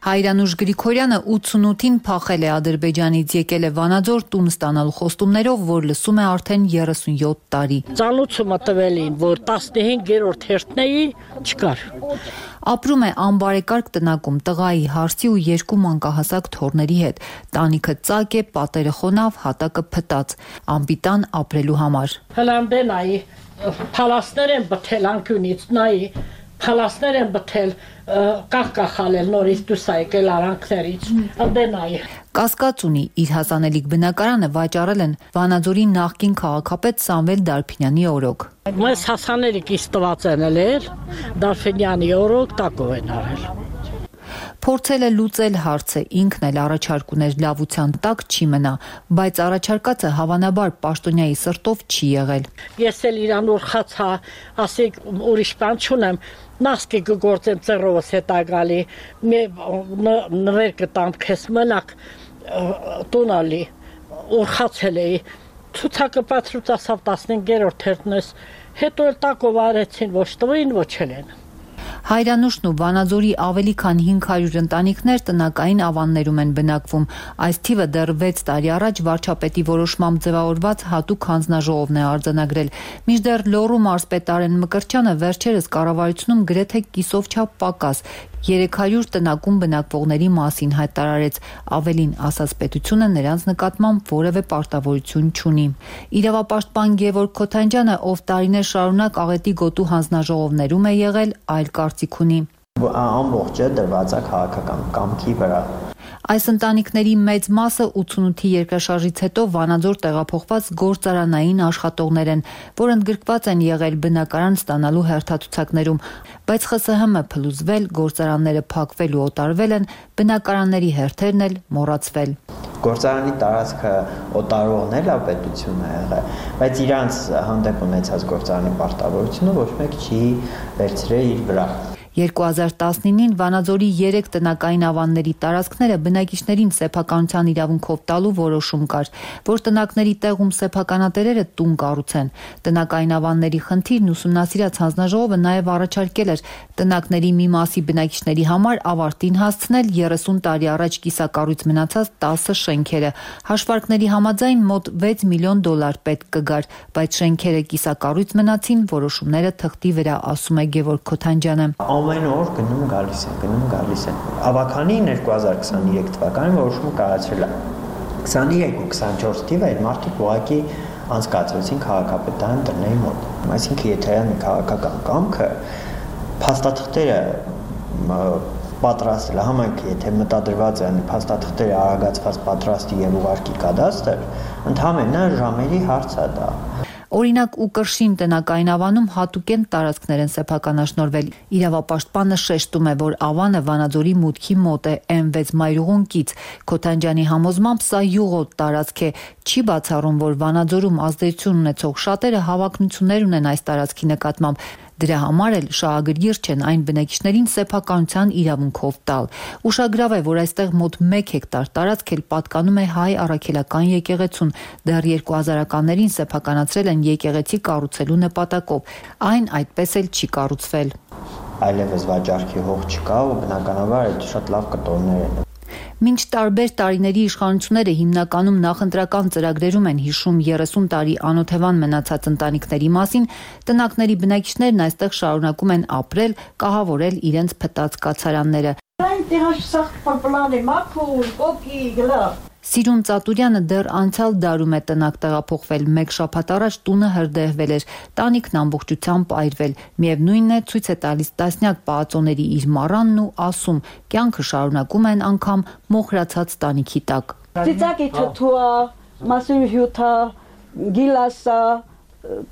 Հայրանուշ Գրիգորյանը ութսունութին փախել է Ադրբեջանից, եկել է Վանաձոր տուն ստանալու խոստումներով, որ լսում է արդեն երեսունյոթ տարի։ Ծանոթումը տվել էին, որ տասնհինգերորդ հերթնեի չկար։ Ապրում է անբարեկարգ տնակում տղայի, հարսի ու երկու մանկահասակ թոռների հետ։ Տանիքը ծակ է, պատերը խոնավ, հատակը փտած, անպիտան ապրելու համար։ Հլանդենայի փալասներ են բթել անկյունից, նայի փալասներ են բթել, կախկախալել նորից դուս եկել արանքներից, անդենայի։ Կասկած ունի, իր հասանելիք բնակարանը վաճառել են Վանաձորի նախկին քաղաքապետ Սամվել Դարփինյանի օրոք։ Մեզ հասանելիքից տված են էլ Դարփինյանի օրոք տակով են արել։ Փորձել է լուծել հարցը, ինքն էլ առաջարկ ուներ լավության տակ չի մնա, բայց առաջարկածը հավանաբար պաշտոնյայի սրտով չի եղել։ Ես էլ իրան ուրխացա, ասիկ ուրիշ բան չունեմ, նասկի կգործեմ ծերովս հետա գալի, նվեր կտամ քեզ մնակ տունալի, ուրխացել էի, ցուցակը պատրուց ասավ տասնհինգերորդ հերթնես, հետո էլ տակով արեցին, ոչ տվին, ոչ են։ Հայրանուշն ու Վանաձորի ավելի քան հինգ հարյուր ընտանիքներ տնակային ավաններում են բնակվում։ Այս թիվը դեռ վեց տարի առաջ վարչապետի որոշմամբ ձևավորված հատուկ հանձնաժողովն է արձանագրել։ Մինչդեռ Լոռու մարզպետ Արեն Մկրտչյանը վերջերս կառավարությունում գրեթե կիսով չափ պակաս երեք հարյուր տնակում բնակվողների մասին հայտարարեց, ավելին ասաց պետությունը նրանց նկատմամբ որևէ պարտավորություն չունի։ Իրավապաշտպան Գևորգ Քոթանջյանը, ով տարիներ շարունակ աղետի գոտու հանձնաժողովներում է եղել, այլ կարծիք ունի։ Ամբողջը դրված է քաղաքական կամքի վրա։ Այս ընտանիքների մեծ մասը ութսունութի երկրաշարժից հետո Վանաձոր տեղափոխված գործարանային աշխատողներ են, որ ընդգրկված են եղել բնակարան ստանալու հերթացուցակներում, բայց Խ Ս Հ Մ փլուզվել, գործարանները փակվել ու օտարվել են, բնակարանների հերթերն էլ մոռացվել։ Գործարանի տարածքը օտարողն էլ պետություն է եղել, բայց իրանց հանդեպ ունեցած գործարանի պարտավորությունը ոչ մեկ չի վերցրել իր վրա։ երկու հազար տասնինին Վանաձորի երեք տնակային ավանների տարածքները բնակիչներին սեփականության իրավունքով տալու որոշում կար, որ տնակների տեղում սեփականատերերը տուն կառուցեն։ Տնակային ավանների խնդիրն ուսումնասիրած հանձնաժողովը նաև առաջարկել էր տնակների մի մասի բնակիչների համար ավարտին հասցնել երեսուն տարի առաջ կիսակառույց մնացած տասը շենքերը։ Հաշվարկների համաձայն մոտ վեց միլիոն դոլար պետք կգար, բայց շենքերը կիսակառույց մնացին, որոշումները թղթի վրա, ասում է Գևորգ Քոթանջյանը։ Ամեն օր գնում գալիս են, գնում գալիս են։ Ավականին երկու հազար քսաներեք թվականին որոշումը կայացրել է։ քսաներեք ու քսանչորս թիվը այդ մարդիկ ուղղակի անցկացրեցին քաղաքապետարան տնների մոտ։ Այսինքն եթե մի քաղաքական կամքը փաստաթղթերը պատրաստել, համայնքը եթե մտադրված է փաստաթղթերը արագացված պատրաստի եւ ուղարկի կադաստր, ընդհանրապես ժամերի հարց է դա։ Օրինակ ու կրշին տնակային ավանում հատուկեն տարածքներ են սեփականաշնորվել։ Իրավապաշտպանը շեշտում է, որ ավանը Վանաձորի մուտքի մոտ է էմ վեց մայրուղուն կից։ Քոթանջյանի համոզմամբ սա յուղոտ տարածք է, չի բացառում, որ Վանաձորում ազդեցություն ունեցող շատերը հավակնություններ ունեն այս տարածքի նկատմամբ։ Դրա համար էլ շահագրգիռ չեն այն բնակիչներին սեփականության իրավունքով տալ։ Ուշագրավ է, որ այստեղ մոտ մեկ հեկտար տարածք էլ պատկանում է հայ առաքելական եկեղեցուն։ Դեռ երկու հազարականներին սեփականացրել են եկեղեցի կառուցելու նպատակով։ Այն այդպես էլ չի կառուցվել։ Այլևս վաճառքի հող չկա ու բնականաբար այդ շատ լավ կտորներ են։ Մինչ տարբեր տարիների իշխանությունները հիմնականում նախընտրական ծրագրերում են հիշում երեսուն տարի անօթևան մնացած ընտանիքների մասին, տնակների բնակիչներն այստեղ շարունակում են ապրել, կահավորել իրենց փտած կացարանները։ Սիրուն Ծատուրյանը դեռ անցյալ դարում է տնակ տեղափոխվել, մեկ շաբաթ առաջ տունը հրդեհվել էր, տանիքն ամբողջությամբ այրվել, միևնույնն է ցույց է տալիս տասնյակ պահածոների իր մառանն ու ասում, կյանքը շարունակում են անգամ մոխրացած տանիքի տակ։ Ծիծակի թթուա, մասուրի հյութա, գիլասա,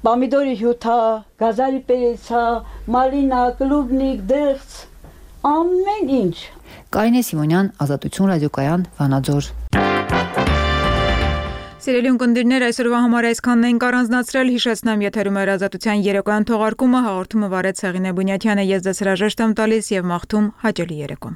պամիդորի հյութա, գազարի պերեցա, մալինա, կլուբնիկ, դեղց, ամեն ինչ։ Կարինե Սիմոնյան, Ազատություն ռադիոկայան, Վանաձոր։ Սիրելի ունկնդիրներ, այսօրվա համար այսքանն ենք առանձնացրել, հիշեցնեմ եթերում էր Ազատության երեկոյան թողարկումը, հաղորդումը վարեց Հեղինե Բունյաթյանը, ես ձեզ հրաժեշտ եմ տալիս եւ մաղթում հաճելի երեկո։